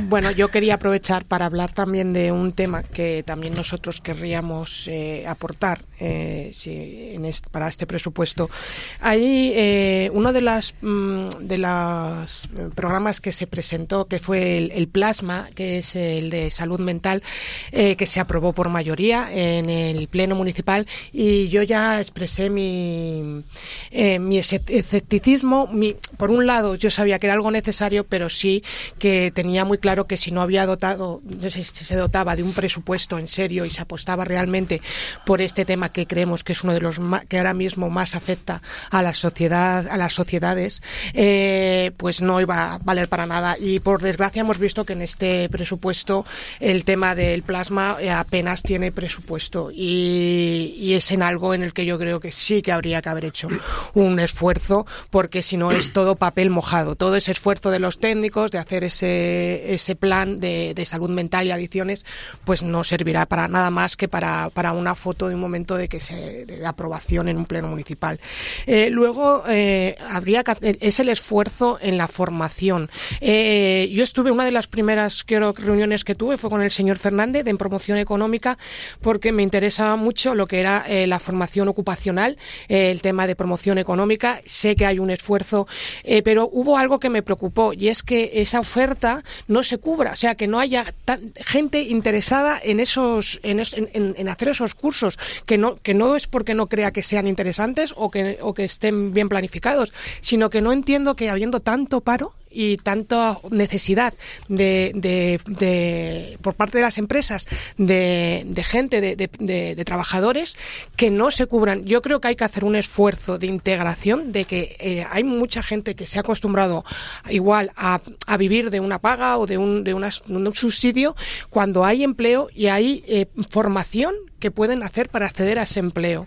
Bueno, yo quería aprovechar para hablar también de un tema que también nosotros querríamos eh, aportar eh, si, en este, para este presupuesto. Ahí eh, uno de los mm, de los programas que se presentó, que fue el, el Plasma, que es el de salud mental, eh, que se aprobó por mayoría en el Pleno Municipal, y yo ya expresé mi, eh, mi escepticismo. Mi, por un lado, yo sabía que era algo necesario, pero pero sí que tenía muy claro que si no había dotado, no sé si se dotaba de un presupuesto en serio y se apostaba realmente por este tema que creemos que es uno de los más, que ahora mismo más afecta a la sociedad, a las sociedades, eh, pues no iba a valer para nada. Y por desgracia hemos visto que en este presupuesto el tema del plasma eh, apenas tiene presupuesto, y, y es en algo en el que yo creo que sí que habría que haber hecho un esfuerzo, porque si no es todo papel mojado, todo ese esfuerzo de los técnicos de hacer ese ese plan de, de salud mental y adicciones, pues no servirá para nada más que para, para una foto de un momento de que se de aprobación en un pleno municipal. Eh, luego eh, habría que, es el esfuerzo en la formación. Eh, yo estuve, una de las primeras quiero, reuniones que tuve fue con el señor Fernández en promoción económica, porque me interesaba mucho lo que era eh, la formación ocupacional, eh, el tema de promoción económica. Sé que hay un esfuerzo, eh, pero hubo algo que me preocupó, y es que esa oferta no se cubra, o sea, que no haya tan, gente interesada en esos en, en, en hacer esos cursos, que no que no es porque no crea que sean interesantes o que o que estén bien planificados, sino que no entiendo que habiendo tanto paro y tanta necesidad de, de, de por parte de las empresas de, de gente, de, de, de, de trabajadores, que no se cubran. Yo creo que hay que hacer un esfuerzo de integración, de que eh, hay mucha gente que se ha acostumbrado igual a, a vivir de una paga o de un, de una, un subsidio, cuando hay empleo y hay eh, formación que pueden hacer para acceder a ese empleo.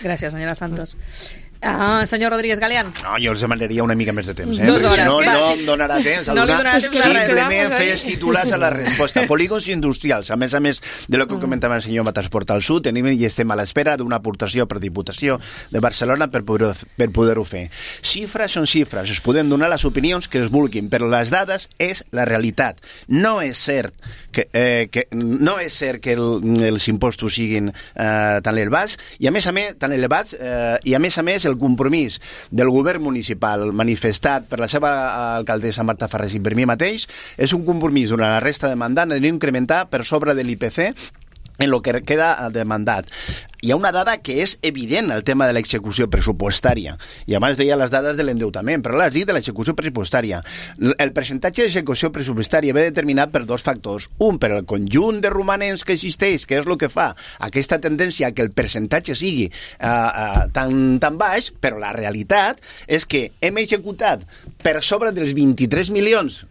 Gracias, señora Santos. Ah, senyor Rodríguez Galeán. No, jo els demanaria una mica més de temps, eh? Dos Perquè hores, si no, que... no em donarà temps a no donar. Temps Simplement fes titulars a la resposta. Polígons industrials. A més a més de lo que comentava el senyor Matas Porta al Sud, tenim i estem a l'espera d'una aportació per Diputació de Barcelona per poder-ho per poder fer. Xifres són xifres. Es poden donar les opinions que es vulguin, però les dades és la realitat. No és cert que, eh, que, no és cert que el, els impostos siguin eh, tan elevats, i a més a més, tan elevats, eh, i a més a més el compromís del govern municipal manifestat per la seva alcaldessa Marta Farrés i per mi mateix és un compromís durant la resta de mandat de no incrementar per sobre de l'I P C en el que queda de mandat. Hi ha una dada que és evident, el tema de l'execució pressupostària. I abans deia les dades de l'endeutament, però l'has dit de l'execució pressupostària. El percentatge d'execució pressupostària ve determinat per dos factors. Un, per el conjunt de romanents que existeix, que és el que fa aquesta tendència a que el percentatge sigui uh, uh, tan, tan baix, però la realitat és que hem executat per sobre dels vint-i-tres milions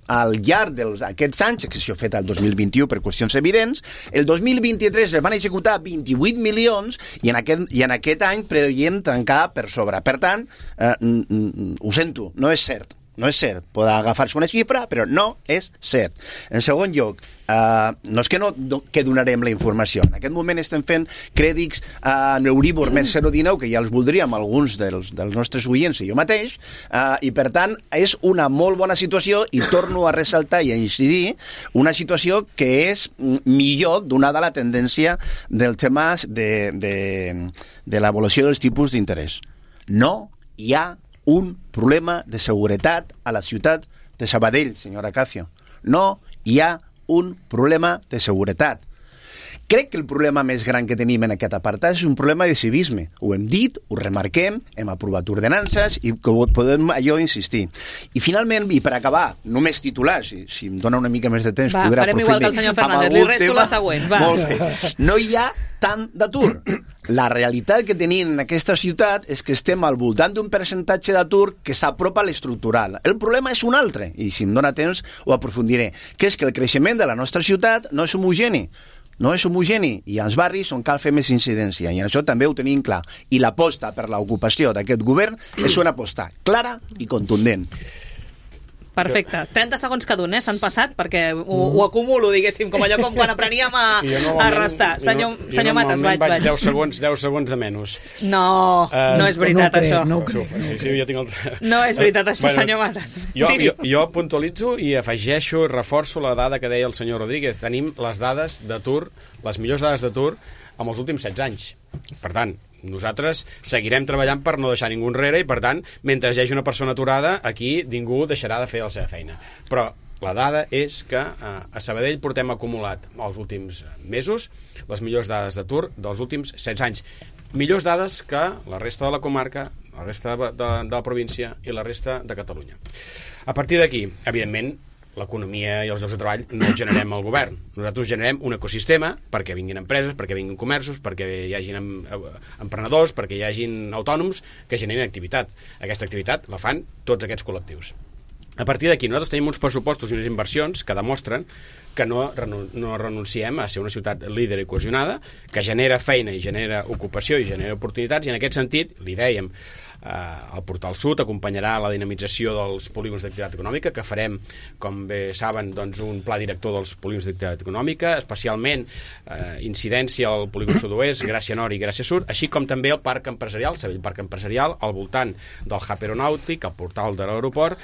al llarg d'aquests anys, que s'ha fet el dos mil vint-i-u per qüestions evidents. El dos mil vint-i-tres es van executar vint-i-vuit milions i en aquest, i en aquest any preveiem tancar per sobre. Per tant, eh, ho sento, no és cert. no és cert. Pot agafar-se una xifra, però no és cert. En segon lloc, Uh, no és que no que donarem la informació. En aquest moment estem fent crèdits a uh, Euribor més zero coma dinou, que ja els voldríem alguns dels, dels nostres oients i jo mateix, uh, i per tant és una molt bona situació, i torno a ressaltar i a incidir, una situació que és millor donada la tendència del tema de, de, de l'evolució dels tipus d'interès. No hi ha un problema de seguretat a la ciutat de Sabadell, senyora Acacio. No hi ha un problema de seguretat. Crec que el problema més gran que tenim en aquest apartat és un problema de civisme. Ho hem dit, ho remarquem, hem aprovat ordenances i podem allò insistir. I finalment, i per acabar, només titulars, si, si em dona una mica més de temps, va, podrà aprofundir. Va, farem igual que el senyor Fernández, li resto tema. La següent. Va. Molt bé. No hi ha tant d'atur. La realitat que tenim en aquesta ciutat és que estem al voltant d'un percentatge d'atur que s'apropa a l'estructural. El problema és un altre, i si em dona temps ho aprofundiré, que és que el creixement de la nostra ciutat no és homogeni. No és homogeni, i als barris on cal fer més incidència, i això també ho tenim clar. I l'aposta per l'ocupació d'aquest govern és una aposta clara i contundent. Perfecte. trenta segons cada un, eh? S'han passat, perquè ho, ho acumulo, diguéssim, com allò com quan apreníem a, a restar. Senyor, jo, senyor Matas, vaig, vaig. deu segons, deu segons de menys. No, uh, no és veritat, no crec, això. No, crec, no, sí, sí, jo tinc el... no és veritat, això, bueno, senyor Matas. Jo, jo, jo puntualitzo i afegeixo, reforço la dada que deia el senyor Rodríguez. Tenim les dades d'atur, les millors dades d'atur, amb els últims setze anys. Per tant, nosaltres seguirem treballant per no deixar ningú enrere i, per tant, mentre hi hagi una persona aturada, aquí ningú deixarà de fer la seva feina. Però la dada és que eh, a Sabadell portem acumulat els últims mesos les millors dades d'atur dels últims setze anys. Millors dades que la resta de la comarca, la resta de, de, de la província i la resta de Catalunya. A partir d'aquí, evidentment, l'economia i els llocs de treball no els generem al govern. Nosaltres generem un ecosistema perquè vinguin empreses, perquè vinguin comerços, perquè hi hagin emprenedors, perquè hi hagin autònoms que generin activitat. Aquesta activitat la fan tots aquests col·lectius. A partir d'aquí, nosaltres tenim uns pressupostos i unes inversions que demostren que no, no renunciem a ser una ciutat líder i cohesionada, que genera feina i genera ocupació i genera oportunitats, i en aquest sentit, li dèiem, el Portal Sud acompanyarà la dinamització dels polígons d'activitat econòmica, que farem, com bé saben, doncs, un pla director dels polígons d'activitat econòmica, especialment eh, incidència al polígon sud-oest, Gràcia Nord i Gràcia Sud, així com també el parc empresarial, Sabadell Parc Empresarial, al voltant del hub aeronàutic, al portal de l'aeroport,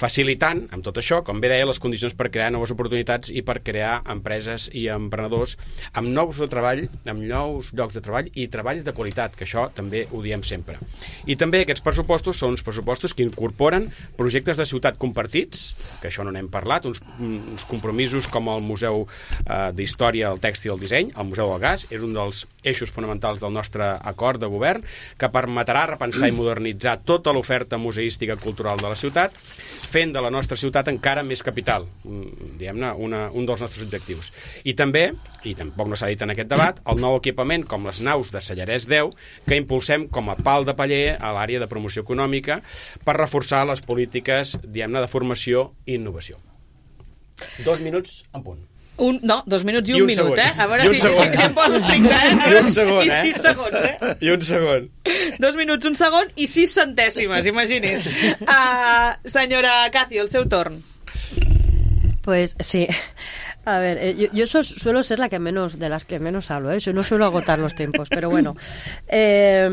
facilitant, amb tot això, com bé deia, les condicions per crear noves oportunitats i per crear empreses i emprenedors amb nous de treball, amb nous llocs de treball i treballs de qualitat, que això també ho diem sempre. I també aquests pressupostos són uns pressupostos que incorporen projectes de ciutat compartits, que això no n'hem parlat, uns, uns compromisos com el Museu eh, d'Història, el Tèxtil i el Disseny, el Museu del Gas, és un dels eixos fonamentals del nostre acord de govern, que permetrà repensar i modernitzar tota l'oferta museística i cultural de la ciutat, fent de la nostra ciutat encara més capital, diguem-ne, una, un dels nostres objectius. I també, i tampoc no s'ha dit en aquest debat, el nou equipament com les naus de Sallarès deu, que impulsem com a pal de paller a l'àrea de promoció econòmica per reforçar les polítiques, diguem-ne, de formació i innovació. Dos minuts en punt. Un, no, dos minuts i un, I un minut, segon. eh? A veure I un si, segon. si, si em poso estricte, eh? I un segon, I eh? sis segons, eh? I un segon. Dos minuts, un segon i sis centèsimes, imagini's. Uh, senyora Acacio, el seu torn. Pues sí. A ver, eh, yo, yo so, suelo ser la que menos, de las que menos hablo, ¿eh? Yo no suelo agotar los tiempos, pero bueno. Eh,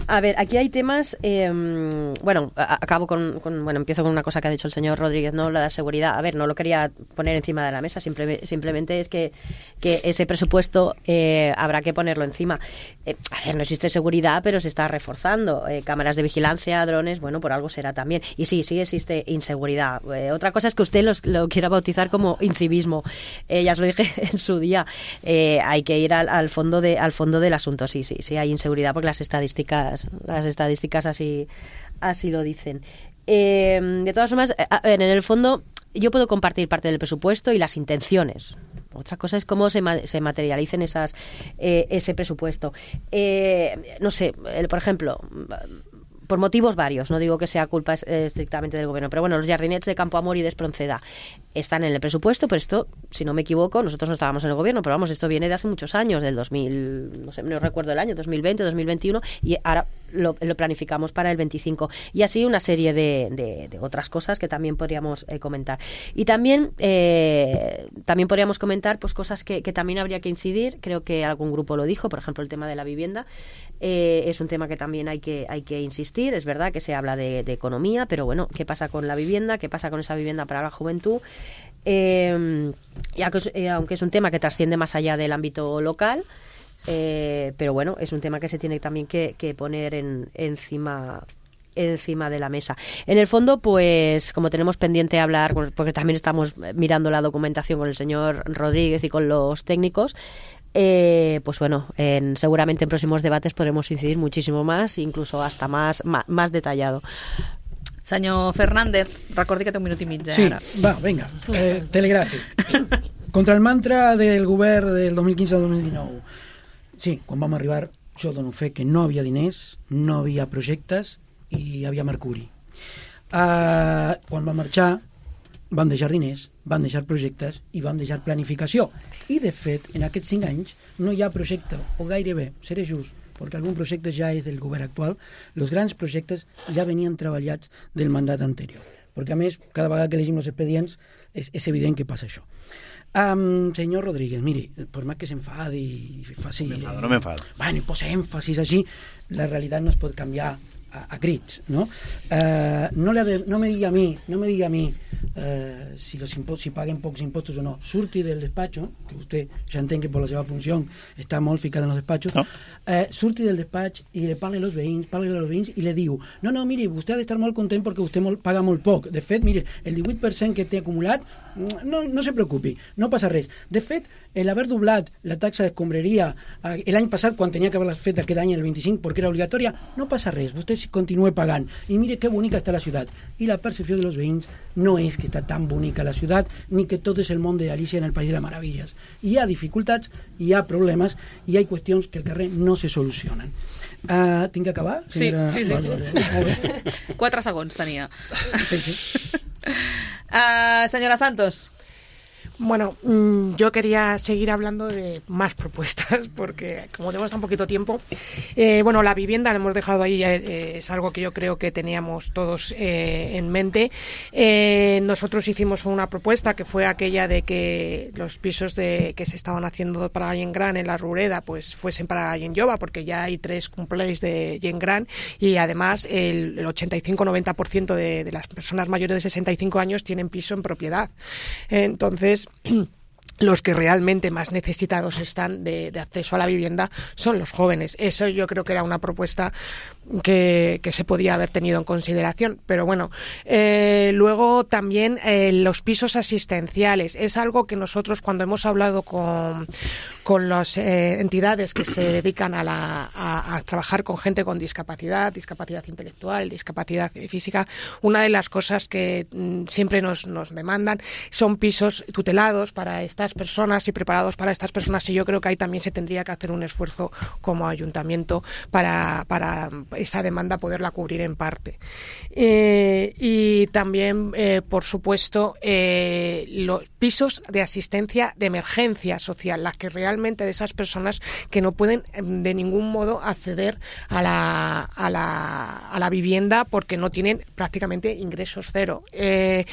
a ver, aquí hay temas, eh, bueno, a, acabo con, con, bueno, empiezo con una cosa que ha dicho el señor Rodríguez, ¿no? La de seguridad. A ver, no lo quería poner encima de la mesa, simple, simplemente es que, que ese presupuesto eh, habrá que ponerlo encima. Eh, a ver, no existe seguridad, pero se está reforzando. Eh, cámaras de vigilancia, drones, bueno, por algo será también. Y sí, sí existe inseguridad. Eh, otra cosa es que usted los, lo quiera bautizar como incivismo. Eh, ya os lo dije en su día, eh, hay que ir al, al fondo de al fondo del asunto. Sí, sí, sí, hay inseguridad porque las estadísticas las estadísticas así así lo dicen. Eh, de todas formas, a ver, en el fondo yo puedo compartir parte del presupuesto y las intenciones. Otra cosa es cómo se, ma- se materialicen esas eh, ese presupuesto. Eh, no sé, el, por ejemplo, por motivos varios, no digo que sea culpa estrictamente del gobierno, pero bueno, los jardinets de Campo Amor y de Espronceda están en el presupuesto, pero esto, si no me equivoco, nosotros no estábamos en el gobierno, pero vamos, esto viene de hace muchos años, del dos mil, no sé, no recuerdo el año, dos mil veinte, dos mil veintiuno, y ahora lo, lo planificamos para el veinticinco. Y así una serie de, de, de otras cosas que también podríamos eh, comentar. Y también, eh, también podríamos comentar pues cosas que, que también habría que incidir, creo que algún grupo lo dijo, por ejemplo, el tema de la vivienda, eh, es un tema que también hay que, hay que insistir, es verdad que se habla de, de economía, pero bueno, ¿qué pasa con la vivienda? ¿Qué pasa con esa vivienda para la juventud? Eh, y aunque, eh, aunque es un tema que trasciende más allá del ámbito local, eh, pero bueno, es un tema que se tiene también que, que poner en, encima encima de la mesa. En el fondo, pues, como tenemos pendiente hablar, porque también estamos mirando la documentación con el señor Rodríguez y con los técnicos, eh, pues bueno, en, seguramente en próximos debates podremos incidir muchísimo más, incluso hasta más, más, más detallado. Senyor Fernández, recordi que té un minut i mig, eh, sí, ara. va, vinga, eh, telegràfic. Contra el mantra del govern del dos mil quinze al dos mil dinou. Sí, quan vam arribar, jo dono fe que no havia diners, no havia projectes i hi havia mercuri. Uh, quan vam marxar, vam deixar diners, vam deixar projectes i vam deixar planificació. I, de fet, en aquests cinc anys no hi ha projecte, o gairebé, seré just, perquè algun projecte ja és del govern actual, els grans projectes ja venien treballats del mandat anterior. Perquè, a més, cada vegada que llegim els expedients és, és evident que passa això. Um, senyor Rodríguez, miri, per més que s'enfadi i faci... No m'enfado, no m'enfado. Bueno, i posa èmfasis així, la realitat no es pot canviar a, a crits, ¿no? Uh, no, le de, no me digui a mi, no me digui a mi uh, si, los impo si paguen pocs impostos o no. Surti del despacho, que vostè ja entén que per la seva funció està molt ficat en els despatxos, no. uh, surti del despatx i le parle a los veïns, parle a los veïns i le diu, no, no, miri, vostè ha d'estar molt content perquè vostè molt, paga molt poc. De fet, miri, el divuit per cent que té acumulat, no, no se preocupi, no passa res. De fet, el haver doblat la taxa d'escombraria l'any passat, quan tenia que haver fet aquest any el vint-i-cinc perquè era obligatòria, no passa res, vostè continua pagant. I mire que bonica està la ciutat. I la percepció de los veïns no és que està tan bonica la ciutat, ni que tot és el món de Alicia en el País de les Meravilles. Hi ha dificultats, hi ha problemes, i hi ha qüestions que al carrer no se solucionen. Uh, tinc que acabar? Sí, senyora... sí, sí. Vale, vale. Quatre segons tenia. Sí, sí. Uh, senyora Santos. Bueno, yo quería seguir hablando de más propuestas porque como tenemos tan poquito tiempo, eh, bueno, la vivienda la hemos dejado ahí, eh, es algo que yo creo que teníamos todos eh, en mente. Eh, nosotros hicimos una propuesta que fue aquella de que los pisos de, que se estaban haciendo para Gent Gran en la Rureda pues fuesen para Gent Jove, porque ya hay tres cumpleaños de Gent Gran y además el, el ochenta y cinco a noventa por ciento de, de las personas mayores de sesenta y cinco años tienen piso en propiedad. Entonces, los que realmente más necesitados están de, de acceso a la vivienda son los jóvenes. Eso yo creo que era una propuesta que, que se podía haber tenido en consideración. Pero bueno, eh, luego también eh, los pisos asistenciales. Es algo que nosotros cuando hemos hablado con, con las eh, entidades que se dedican a, la, a, a trabajar con gente con discapacidad, discapacidad intelectual, discapacidad física, una de las cosas que mm, siempre nos, nos demandan son pisos tutelados para estas personas y preparados para estas personas, y yo creo que ahí también se tendría que hacer un esfuerzo como ayuntamiento para, para esa demanda poderla cubrir en parte. Eh, y también, eh, por supuesto, eh, los pisos de asistencia de emergencia social, las que realmente de esas personas que no pueden de ningún modo acceder a la, a la, a la vivienda porque no tienen prácticamente ingresos cero. Eh,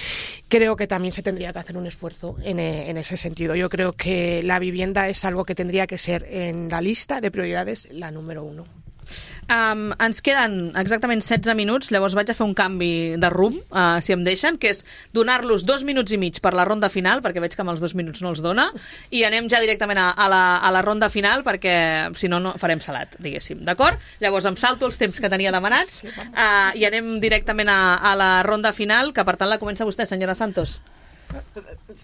creo que también se tendría que hacer un esfuerzo en, en ese sentido. Yo creo que la vivienda es algo que tendría que ser en la lista de prioridades la número uno. Um, ens queden exactament setze minuts, llavors vaig a fer un canvi de rumb, uh, si em deixen, que és donar-los dos minuts i mig per la ronda final, perquè veig que amb els dos minuts no els dona, i anem ja directament a, a, la, a la ronda final, perquè si no, no farem salat, diguéssim, d'acord? Llavors em salto els temps que tenia demanats uh, i anem directament a, a la ronda final, que per tant la comença vostè, senyora Santos.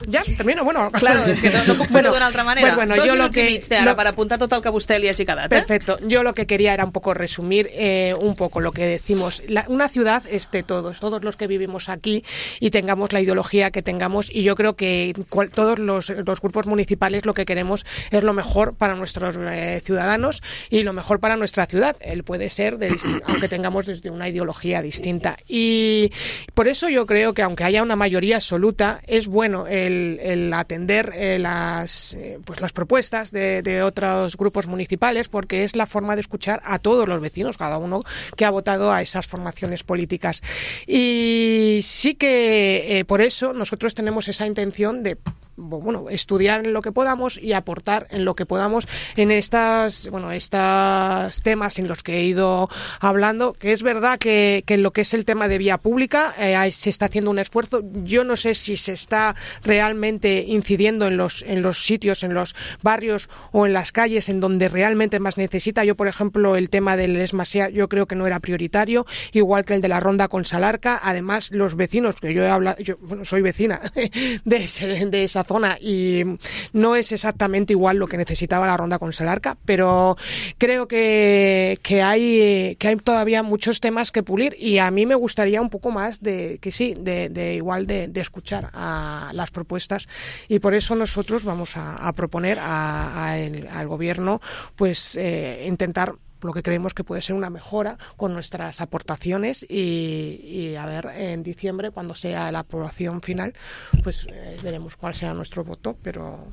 Ja, termino, bueno... Claro, és que no, no puc fer-ho d'una altra manera. Bueno, Dos yo minuts lo que, i mig té ara lo, per apuntar tot el que a vostè li hagi quedat, ¿eh? Perfecto. Yo lo que quería era un poco resumir eh, un poco lo que decimos. La, una ciudad es de todos, todos los que vivimos aquí y tengamos la ideología que tengamos, y yo creo que cual, todos los, los grupos municipales lo que queremos es lo mejor para nuestros eh, ciudadanos y lo mejor para nuestra ciudad. Él puede ser, de, aunque tengamos desde una ideología distinta. Y por eso yo creo que aunque haya una mayoría absoluta, es bueno el, el atender eh, las, eh, pues las propuestas de, de otros grupos municipales, porque es la forma de escuchar a todos los vecinos, cada uno que ha votado a esas formaciones políticas. Y sí que eh, por eso nosotros tenemos esa intención de bueno, estudiar en lo que podamos y aportar en lo que podamos en estas, bueno, estos temas en los que he ido hablando, que es verdad que, que en lo que es el tema de vía pública eh, se está haciendo un esfuerzo. Yo no sé si se está realmente incidiendo en los, en los sitios, en los barrios o en las calles en donde realmente más necesita. Yo, por ejemplo, el tema del Esmasea yo creo que no era prioritario, igual que el de la Ronda con Salarca. Además, los vecinos, que yo he hablado, yo bueno, soy vecina de, ese, de esa zona y no es exactamente igual lo que necesitaba la Ronda con Salarca, pero creo que, que hay que hay todavía muchos temas que pulir, y a mí me gustaría un poco más de que sí, de, de igual de, de escuchar a las propuestas, y por eso nosotros vamos a, a proponer a, a el, al gobierno pues eh, intentar lo que creemos que puede ser una mejora con nuestras aportaciones, y, y a ver en diciembre, cuando sea la aprobación final, pues eh, veremos cuál será nuestro voto, pero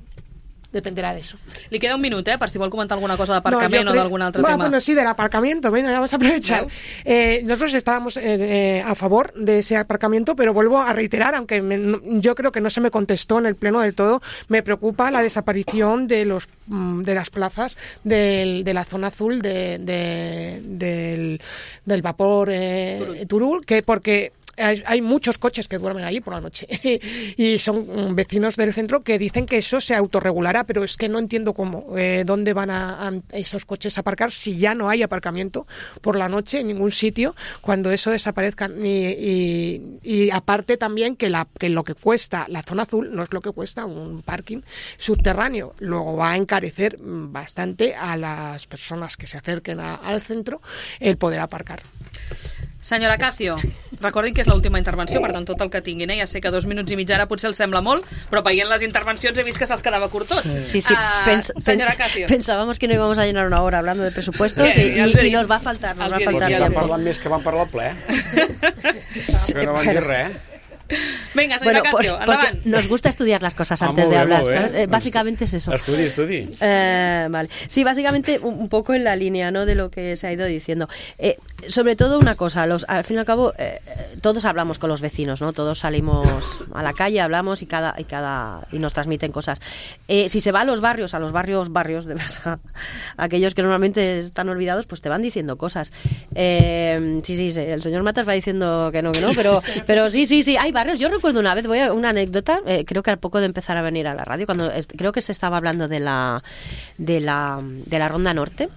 dependerá de eso. Li queda un minut, eh, per si vol comentar alguna cosa d'aparcament no, o d'algun altre bueno, tema. Bueno, sí, del aparcamiento, bueno, ya vamos a aprovechar. Eh, nosotros estábamos eh, a favor de ese aparcamiento, pero vuelvo a reiterar, aunque me, no, yo creo que no se me contestó en el pleno del todo, me preocupa la desaparición de los de las plazas del, de la zona azul de, de, del, del vapor eh, Turul. Turul, que porque Hay, hay muchos coches que duermen allí por la noche y son vecinos del centro que dicen que eso se autorregulará, pero es que no entiendo cómo, eh, dónde van a, a esos coches a aparcar si ya no hay aparcamiento por la noche en ningún sitio cuando eso desaparezca. Y, y, y aparte también que, la, que lo que cuesta la zona azul no es lo que cuesta un parking subterráneo, luego va a encarecer bastante a las personas que se acerquen a, al centro el poder aparcar. Senyora Cacio, recordin que és l'última intervenció, per tant, tot el que tinguin, eh? Ja sé que dos minuts i mig ara potser els sembla molt, però veient les intervencions he vist que se'ls quedava curt tot. Sí, sí, uh, pens senyora Cacio. Pensábamos que no íbamos a llenar una hora hablando de presupuestos y, y, y nos va a faltar, nos va a faltar. Estan parlant més que van parlar al ple. Que no van dir res. Venga, señora bueno, Cacio, por, adelante. Nos gusta estudiar las cosas ah, antes de bien, hablar, ¿sabes? Eh, básicamente Estu es eso. Estudi, estudi. Eh, vale. Sí, básicamente un, un poco en la línea, ¿no?, de lo que se ha ido diciendo. Eh, sobre todo una cosa, los, al fin y al cabo, eh, todos hablamos con los vecinos, ¿no? Todos salimos a la calle, hablamos y cada y cada y nos transmiten cosas. Eh, si se va a los barrios, a los barrios, barrios de verdad, aquellos que normalmente están olvidados, pues te van diciendo cosas. Eh, sí, sí, sí, el señor Matas va diciendo que no, que no, pero, pero sí, sí, sí, hay barrios. Yo recuerdo una vez, voy a una anécdota, eh, creo que al poco de empezar a venir a la radio, cuando es, creo que se estaba hablando de la de la de la Ronda Norte.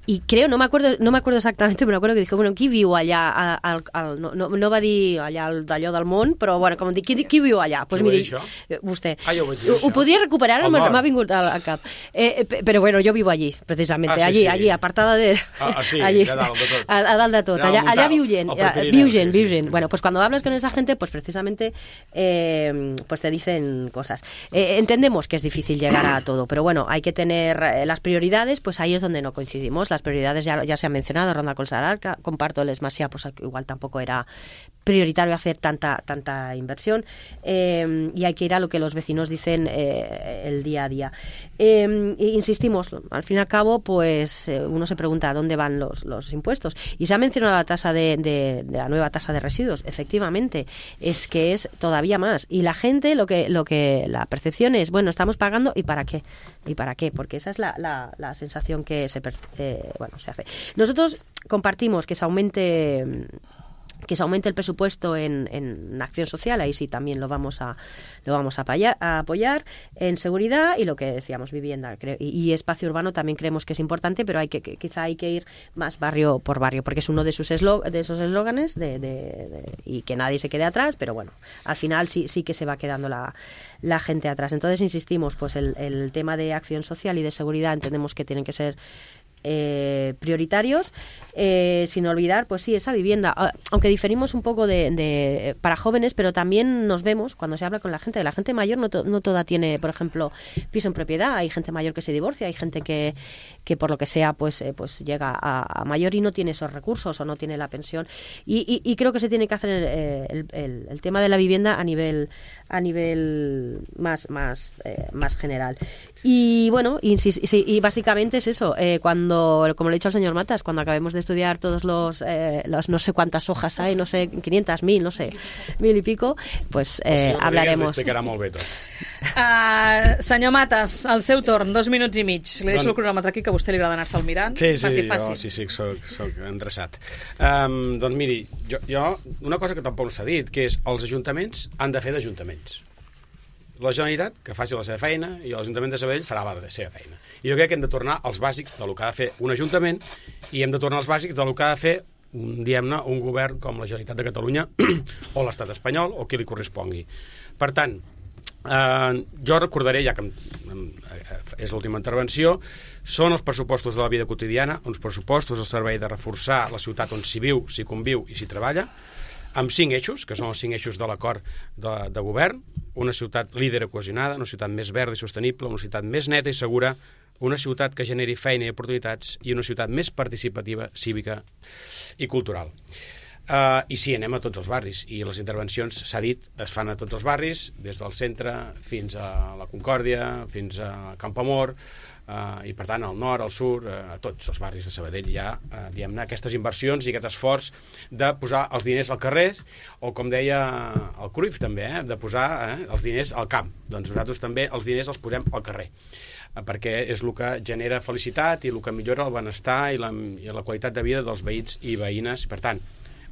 I creo, no m'acordo no m'acordo exactament, però m'acordo que dic, bueno, qui viu allà? Al, al, no, no, no va dir allà d'allò del món, però bueno, com dic, qui, qui viu allà? Pues miri, vostè. Ah, jo ho vaig dir, ho, ho podria recuperar, m'ha vingut al, al cap. Eh, però bueno, jo vivo allí, precisamente, ah, sí, allí, sí. allí, apartada de... Ah, ah sí, allí, a dalt de tot. A, a dalt de tot. Allà, allà viu gent, viu gent, viu gent. Bueno, pues cuando hablas con esa gente, pues precisamente eh, pues te dicen cosas. Eh, entendemos que es difícil llegar a todo, pero bueno, hay que tener eh, las prioridades, pues ahí es donde no coincidimos. Las prioridades ya, ya se han mencionado, Ronda con Salarca, comparto el Esmasía, pues igual tampoco era prioritario hacer tanta tanta inversión, eh, y hay que ir a lo que los vecinos dicen eh, el día a día. Eh, insistimos, al fin y al cabo, pues eh, uno se pregunta a dónde van los, los impuestos. Y se ha mencionado la tasa de, de, de la nueva tasa de residuos. Efectivamente, es que es todavía más. Y la gente, lo que lo que la percepción es, bueno, estamos pagando, ¿y para qué? ¿Y para qué? Porque esa es la, la, la sensación que se, eh, bueno, se hace. Nosotros compartimos que se aumente que se aumente el presupuesto en, en acción social, ahí sí también lo vamos a lo vamos a apoyar, a apoyar en seguridad y lo que decíamos, vivienda creo, y, y espacio urbano también creemos que es importante, pero hay que, que quizá hay que ir más barrio por barrio, porque es uno de sus eslo, de esos eslóganes de, de, de, y que nadie se quede atrás, pero bueno, al final sí sí que se va quedando la, la gente atrás. Entonces insistimos, pues el, el tema de acción social y de seguridad entendemos que tienen que ser Eh, prioritarios, eh, sin olvidar, pues sí, esa vivienda, aunque diferimos un poco de, de para jóvenes, pero también nos vemos cuando se habla con la gente, la gente mayor no, to, no toda tiene, por ejemplo, piso en propiedad, hay gente mayor que se divorcia, hay gente que, que por lo que sea, pues, eh, pues llega a, a mayor y no tiene esos recursos o no tiene la pensión, y, y, y creo que se tiene que hacer el, el, el, el tema de la vivienda a nivel a nivel más más eh, más general. Y bueno, y, y, y básicamente es eso, eh, cuando, como le he dicho al señor Matas, cuando acabemos de estudiar todos los, eh, los no sé cuántas hojas hay, no sé, quinientas mil, no sé, mil y pico, pues eh, hablaremos. Explicarà molt bé tot. Uh, senyor Matas, el seu torn, dos minuts i mig. Li deixo el cronòmetre aquí, que a vostè li agrada anar-se'l mirant. Sí, sí, faci, jo sí, sí, soc, soc endreçat. Um, doncs miri, jo, jo, una cosa que tampoc s'ha dit, que és els ajuntaments han de fer d'ajuntaments. La Generalitat que faci la seva feina i l'Ajuntament de Sabadell farà la seva feina. I jo crec que hem de tornar als bàsics del que ha de fer un ajuntament i hem de tornar als bàsics del que ha de fer diguem-ne, un govern com la Generalitat de Catalunya o l'Estat espanyol o qui li correspongui. Per tant, eh, jo recordaré, ja que és l'última intervenció, són els pressupostos de la vida quotidiana, uns pressupostos al servei de reforçar la ciutat on s'hi viu, s'hi conviu i s'hi treballa, amb cinc eixos, que són els cinc eixos de l'acord de, de govern, una ciutat líder i cohesionada, una ciutat més verda i sostenible, una ciutat més neta i segura, una ciutat que generi feina i oportunitats i una ciutat més participativa, cívica i cultural. Uh, I sí, anem a tots els barris i les intervencions, s'ha dit, es fan a tots els barris, des del centre fins a la Concòrdia, fins a Campoamor, Uh, i per tant al nord, al sud, uh, a tots els barris de Sabadell hi ha uh, diguem-ne, aquestes inversions i aquest esforç de posar els diners al carrer o com deia el Cruyff també, eh, de posar eh, els diners al camp. Doncs nosaltres també els diners els posem al carrer uh, perquè és el que genera felicitat i el que millora el benestar i la, i la qualitat de vida dels veïns i veïnes. Per tant,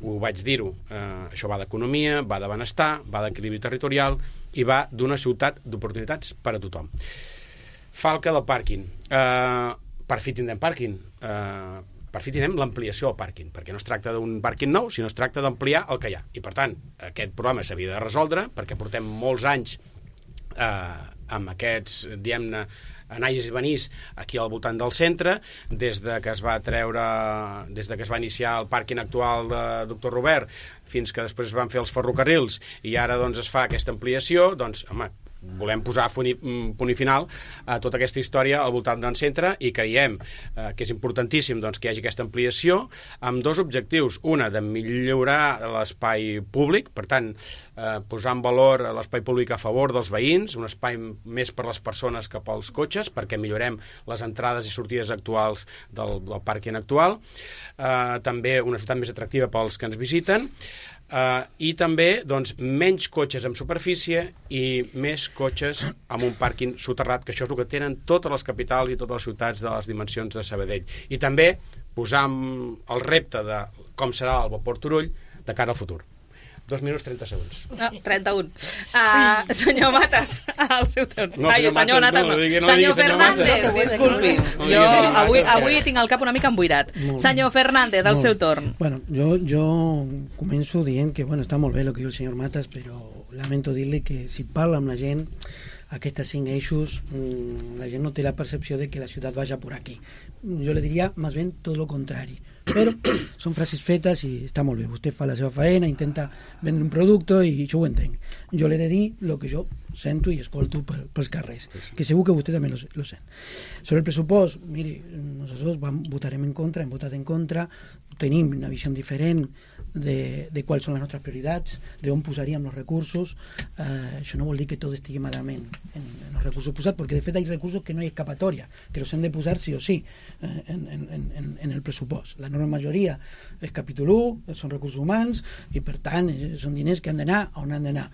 ho vaig dir-ho, uh, això va d'economia, va de benestar, va d'equilibri territorial i va d'una ciutat d'oportunitats per a tothom. Falca del pàrquing. Uh, per fi tindrem pàrquing. Uh, per fi tindrem l'ampliació del pàrquing, perquè no es tracta d'un pàrquing nou, sinó es tracta d'ampliar el que hi ha. I, per tant, aquest problema s'havia de resoldre, perquè portem molts anys uh, amb aquests, diguem-ne, anais i venís aquí al voltant del centre, des de que es va treure, des de que es va iniciar el pàrquing actual de doctor Robert, fins que després es van fer els ferrocarrils, i ara doncs es fa aquesta ampliació, doncs, home, volem posar punt i final a tota aquesta història al voltant del centre i creiem eh, que és importantíssim doncs, que hi hagi aquesta ampliació amb dos objectius. Una, de millorar l'espai públic, per tant, eh, posar en valor l'espai públic a favor dels veïns, un espai més per les persones que pels cotxes, perquè millorem les entrades i sortides actuals del, del pàrquing actual. Eh, també una ciutat més atractiva pels que ens visiten. Uh, i també doncs, menys cotxes en superfície i més cotxes amb un pàrquing soterrat, que això és el que tenen totes les capitals i totes les ciutats de les dimensions de Sabadell. I també posar el repte de com serà el vapor Turull de cara al futur. Dos minuts, trenta segons. Ah, trenta-un. Uh, senyor Matas, el seu torn. No, senyor, Ai, senyor Matas, Matas, no, no. no, no senyor Fernández, Fernández, disculpi. No, jo no, avui, Matas, avui tinc el cap una mica emboirat. Senyor Fernández, el seu torn. Bueno, jo, jo començo dient que bueno, està molt bé el que diu el senyor Matas, però lamento dir-li que si parla amb la gent aquests cinc eixos, la gent no té la percepció de que la ciutat vaya por aquí. Jo le diria més ben tot el contrari. Però són frases fetes i està molt bé. Vostè fa la seva faena, intenta vendre un producte i jo ho entenc. Jo l'he de dir el que jo sento i escolto pels carrers, que segur que vostè també lo, lo sent. Sobre el pressupost, miri, nosaltres vam, votarem en contra, hem votat en contra, tenim una visió diferent de, de quals són les nostres prioritats, d'on posaríem els recursos. Eh, això no vol dir que tot estigui malament en, en els recursos posats, perquè de fet hi ha recursos que no hi ha escapatòria, que els hem de posar sí o sí eh, en, en, en, en el pressupost. La enorme majoria és capítol u, són recursos humans, i per tant són diners que han d'anar on han d'anar.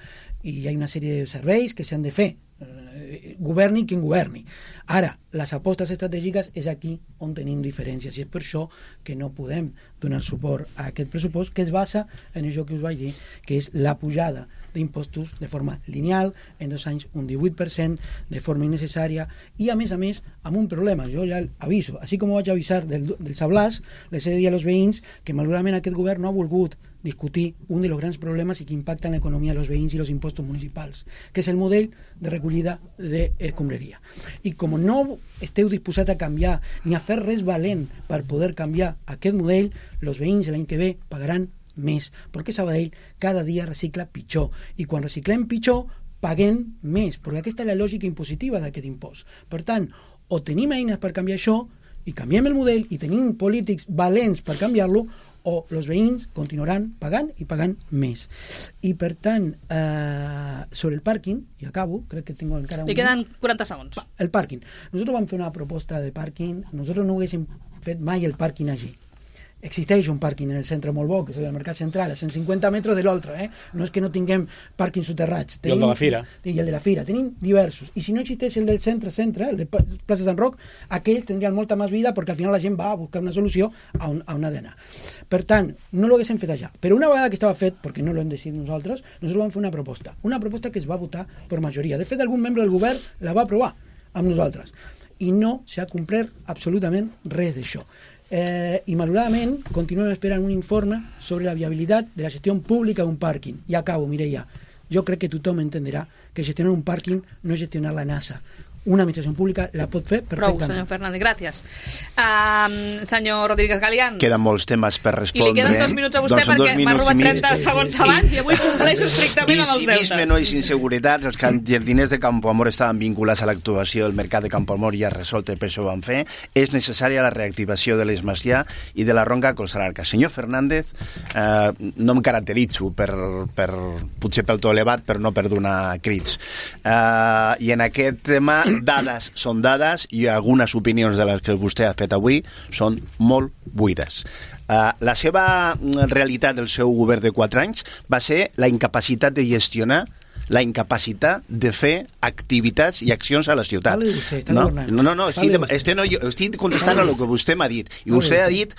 I hi ha una sèrie de serveis que s'han de fer. Eh, governi qui governi. Ara, les apostes estratègiques és aquí on tenim diferències i és per això que no podem donar suport a aquest pressupost que es basa en això que us vaig dir, que és la pujada d'impostos de forma lineal, en dos anys un divuit per cent, de forma innecessària i a més a més amb un problema, jo ja aviso, així com ho vaig avisar del, del Sablàs, les he de dir als veïns que malauradament aquest govern no ha volgut discutir un dels grans problemes i que impacta en l'economia dels veïns i els impostos municipals, que és el model de recollida d'escombraria. I com no esteu disposats a canviar ni a fer res valent per poder canviar aquest model, els veïns l'any que ve pagaran més, perquè Sabadell cada dia recicla pitjor i quan reciclem pitjor paguem més, perquè aquesta és la lògica impositiva d'aquest impost. Per tant, o tenim eines per canviar això i canviem el model i tenim polítics valents per canviar-lo, o els veïns continuaran pagant i pagant més. I per tant, eh, sobre el pàrquing, i acabo, crec que tinc encara un... Li queden quaranta segons. El pàrquing. Nosaltres vam fer una proposta de pàrquing, nosaltres no haguéssim fet mai el pàrquing allí. Existeix un pàrquing en el centre molt bo, que és el Mercat Central, a cent cinquanta metres de l'altre, eh? No és que no tinguem pàrquing soterrats. I el de la Fira. I el de la Fira. Tenim diversos. I si no existeix el del centre-centre, el de Plaça Sant Roc, aquells tindrien molta més vida perquè al final la gent va a buscar una solució a on, a on ha d'anar. Per tant, no lo haguéssim fet allà. Però una vegada que estava fet, perquè no l'hem decidit nosaltres, nosaltres vam fer una proposta. Una proposta que es va votar per majoria. De fet, algun membre del govern la va aprovar amb nosaltres. I no s'ha complert absolutament res d'això. Eh, i malauradament continuem esperant un informe sobre la viabilitat de la gestió pública d'un pàrquing. I acabo, Mireia, jo crec que tothom entenderà que gestionar un pàrquing no és gestionar la NASA. Una administració pública la pot fer perfectament. Prou, senyor Fernández, gràcies. Um, senyor Rodríguez Galián. Queden molts temes per respondre. I li queden dos minuts a vostè doncs perquè m'ha robat trenta sí, segons sí, abans sí. I avui compleixo estrictament amb els deutes. I vist menors inseguretats, els jardiners de Campo Amor estaven vinculats a l'actuació del mercat de Campo Amor ja resolt, per això ho van fer. És necessària la reactivació de l'Esmacià i de la Ronca Colsalarca. Senyor Fernández, eh, no em caracteritzo per, per, potser pel to elevat, però no per donar crits. Eh, I en aquest tema dades són dades i algunes opinions de les que vostè ha fet avui són molt buides. Uh, la seva realitat del seu govern de quatre anys va ser la incapacitat de gestionar, la incapacitat de fer activitats i accions a la ciutat. No, no, no, no estic, este no, jo estic contestant a el que vostè m'ha dit. I vostè ha dit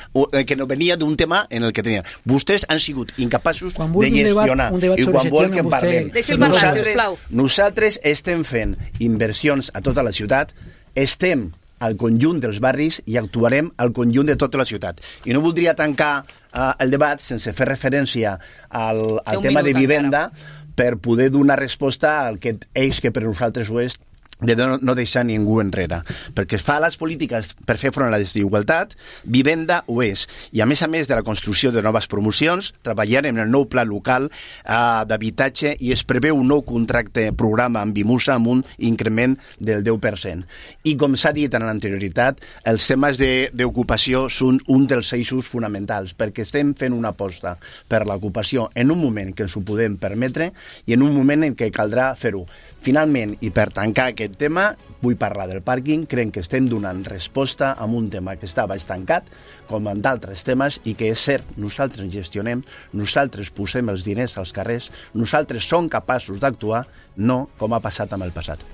que no venia d'un tema en el que tenia. Vostès han sigut incapaços de gestionar. I quan vol que en parlem. Nosaltres, nosaltres estem fent inversions a tota la ciutat, estem al conjunt dels barris i actuarem al conjunt de tota la ciutat. I no voldria tancar uh, el debat sense fer referència al, al tema de vivenda encara, per poder donar resposta al que eix que per nosaltres ho és de no, no deixar ningú enrere. Perquè es fa les polítiques per fer front a la desigualtat, vivenda ho és. I a més a més de la construcció de noves promocions, treballarem en el nou pla local eh, d'habitatge i es preveu un nou contracte programa amb Bimusa amb un increment del deu per cent. I com s'ha dit en l'anterioritat, els temes d'ocupació són un dels eixos fonamentals, perquè estem fent una aposta per l'ocupació en un moment que ens ho podem permetre i en un moment en què caldrà fer-ho. Finalment, i per tancar aquest tema, vull parlar del pàrquing. Crec que estem donant resposta a un tema que estava estancat, com en d'altres temes, i que és cert, nosaltres gestionem, nosaltres posem els diners als carrers, nosaltres som capaços d'actuar, no com ha passat amb el passat.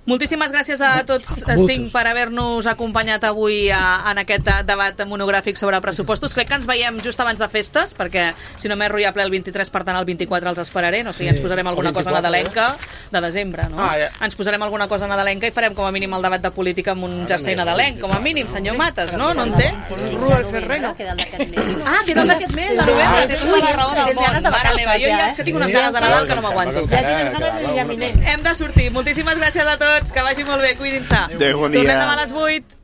Moltíssimes gràcies a tots cinc per haver-nos acompanyat avui a, en aquest debat monogràfic sobre pressupostos. Crec que ens veiem just abans de festes, perquè si no m'erro hi ha ple el vint-i-tres, per tant el vint-i-quatre els esperaré, no sé, sí. Ens posarem alguna cosa nadalenca de desembre, no? Ah, ja. Ens posarem alguna cosa nadalenca i farem com a mínim el debat de política amb un jersei nadalenc, com a mínim, senyor Mates, no? No en té? Sí, Rua el Ferrero. Ah, queda d'aquest mes, de novembre, té tota la raó del món. Mare meva, jo ja és que tinc unes ganes de Nadal que no m'aguanto. Hem de sortir. Moltíssimes gràcies a tots. Que vagi molt bé, cuidin-se. Adéu, bon dia. Tornem demà a les vuit.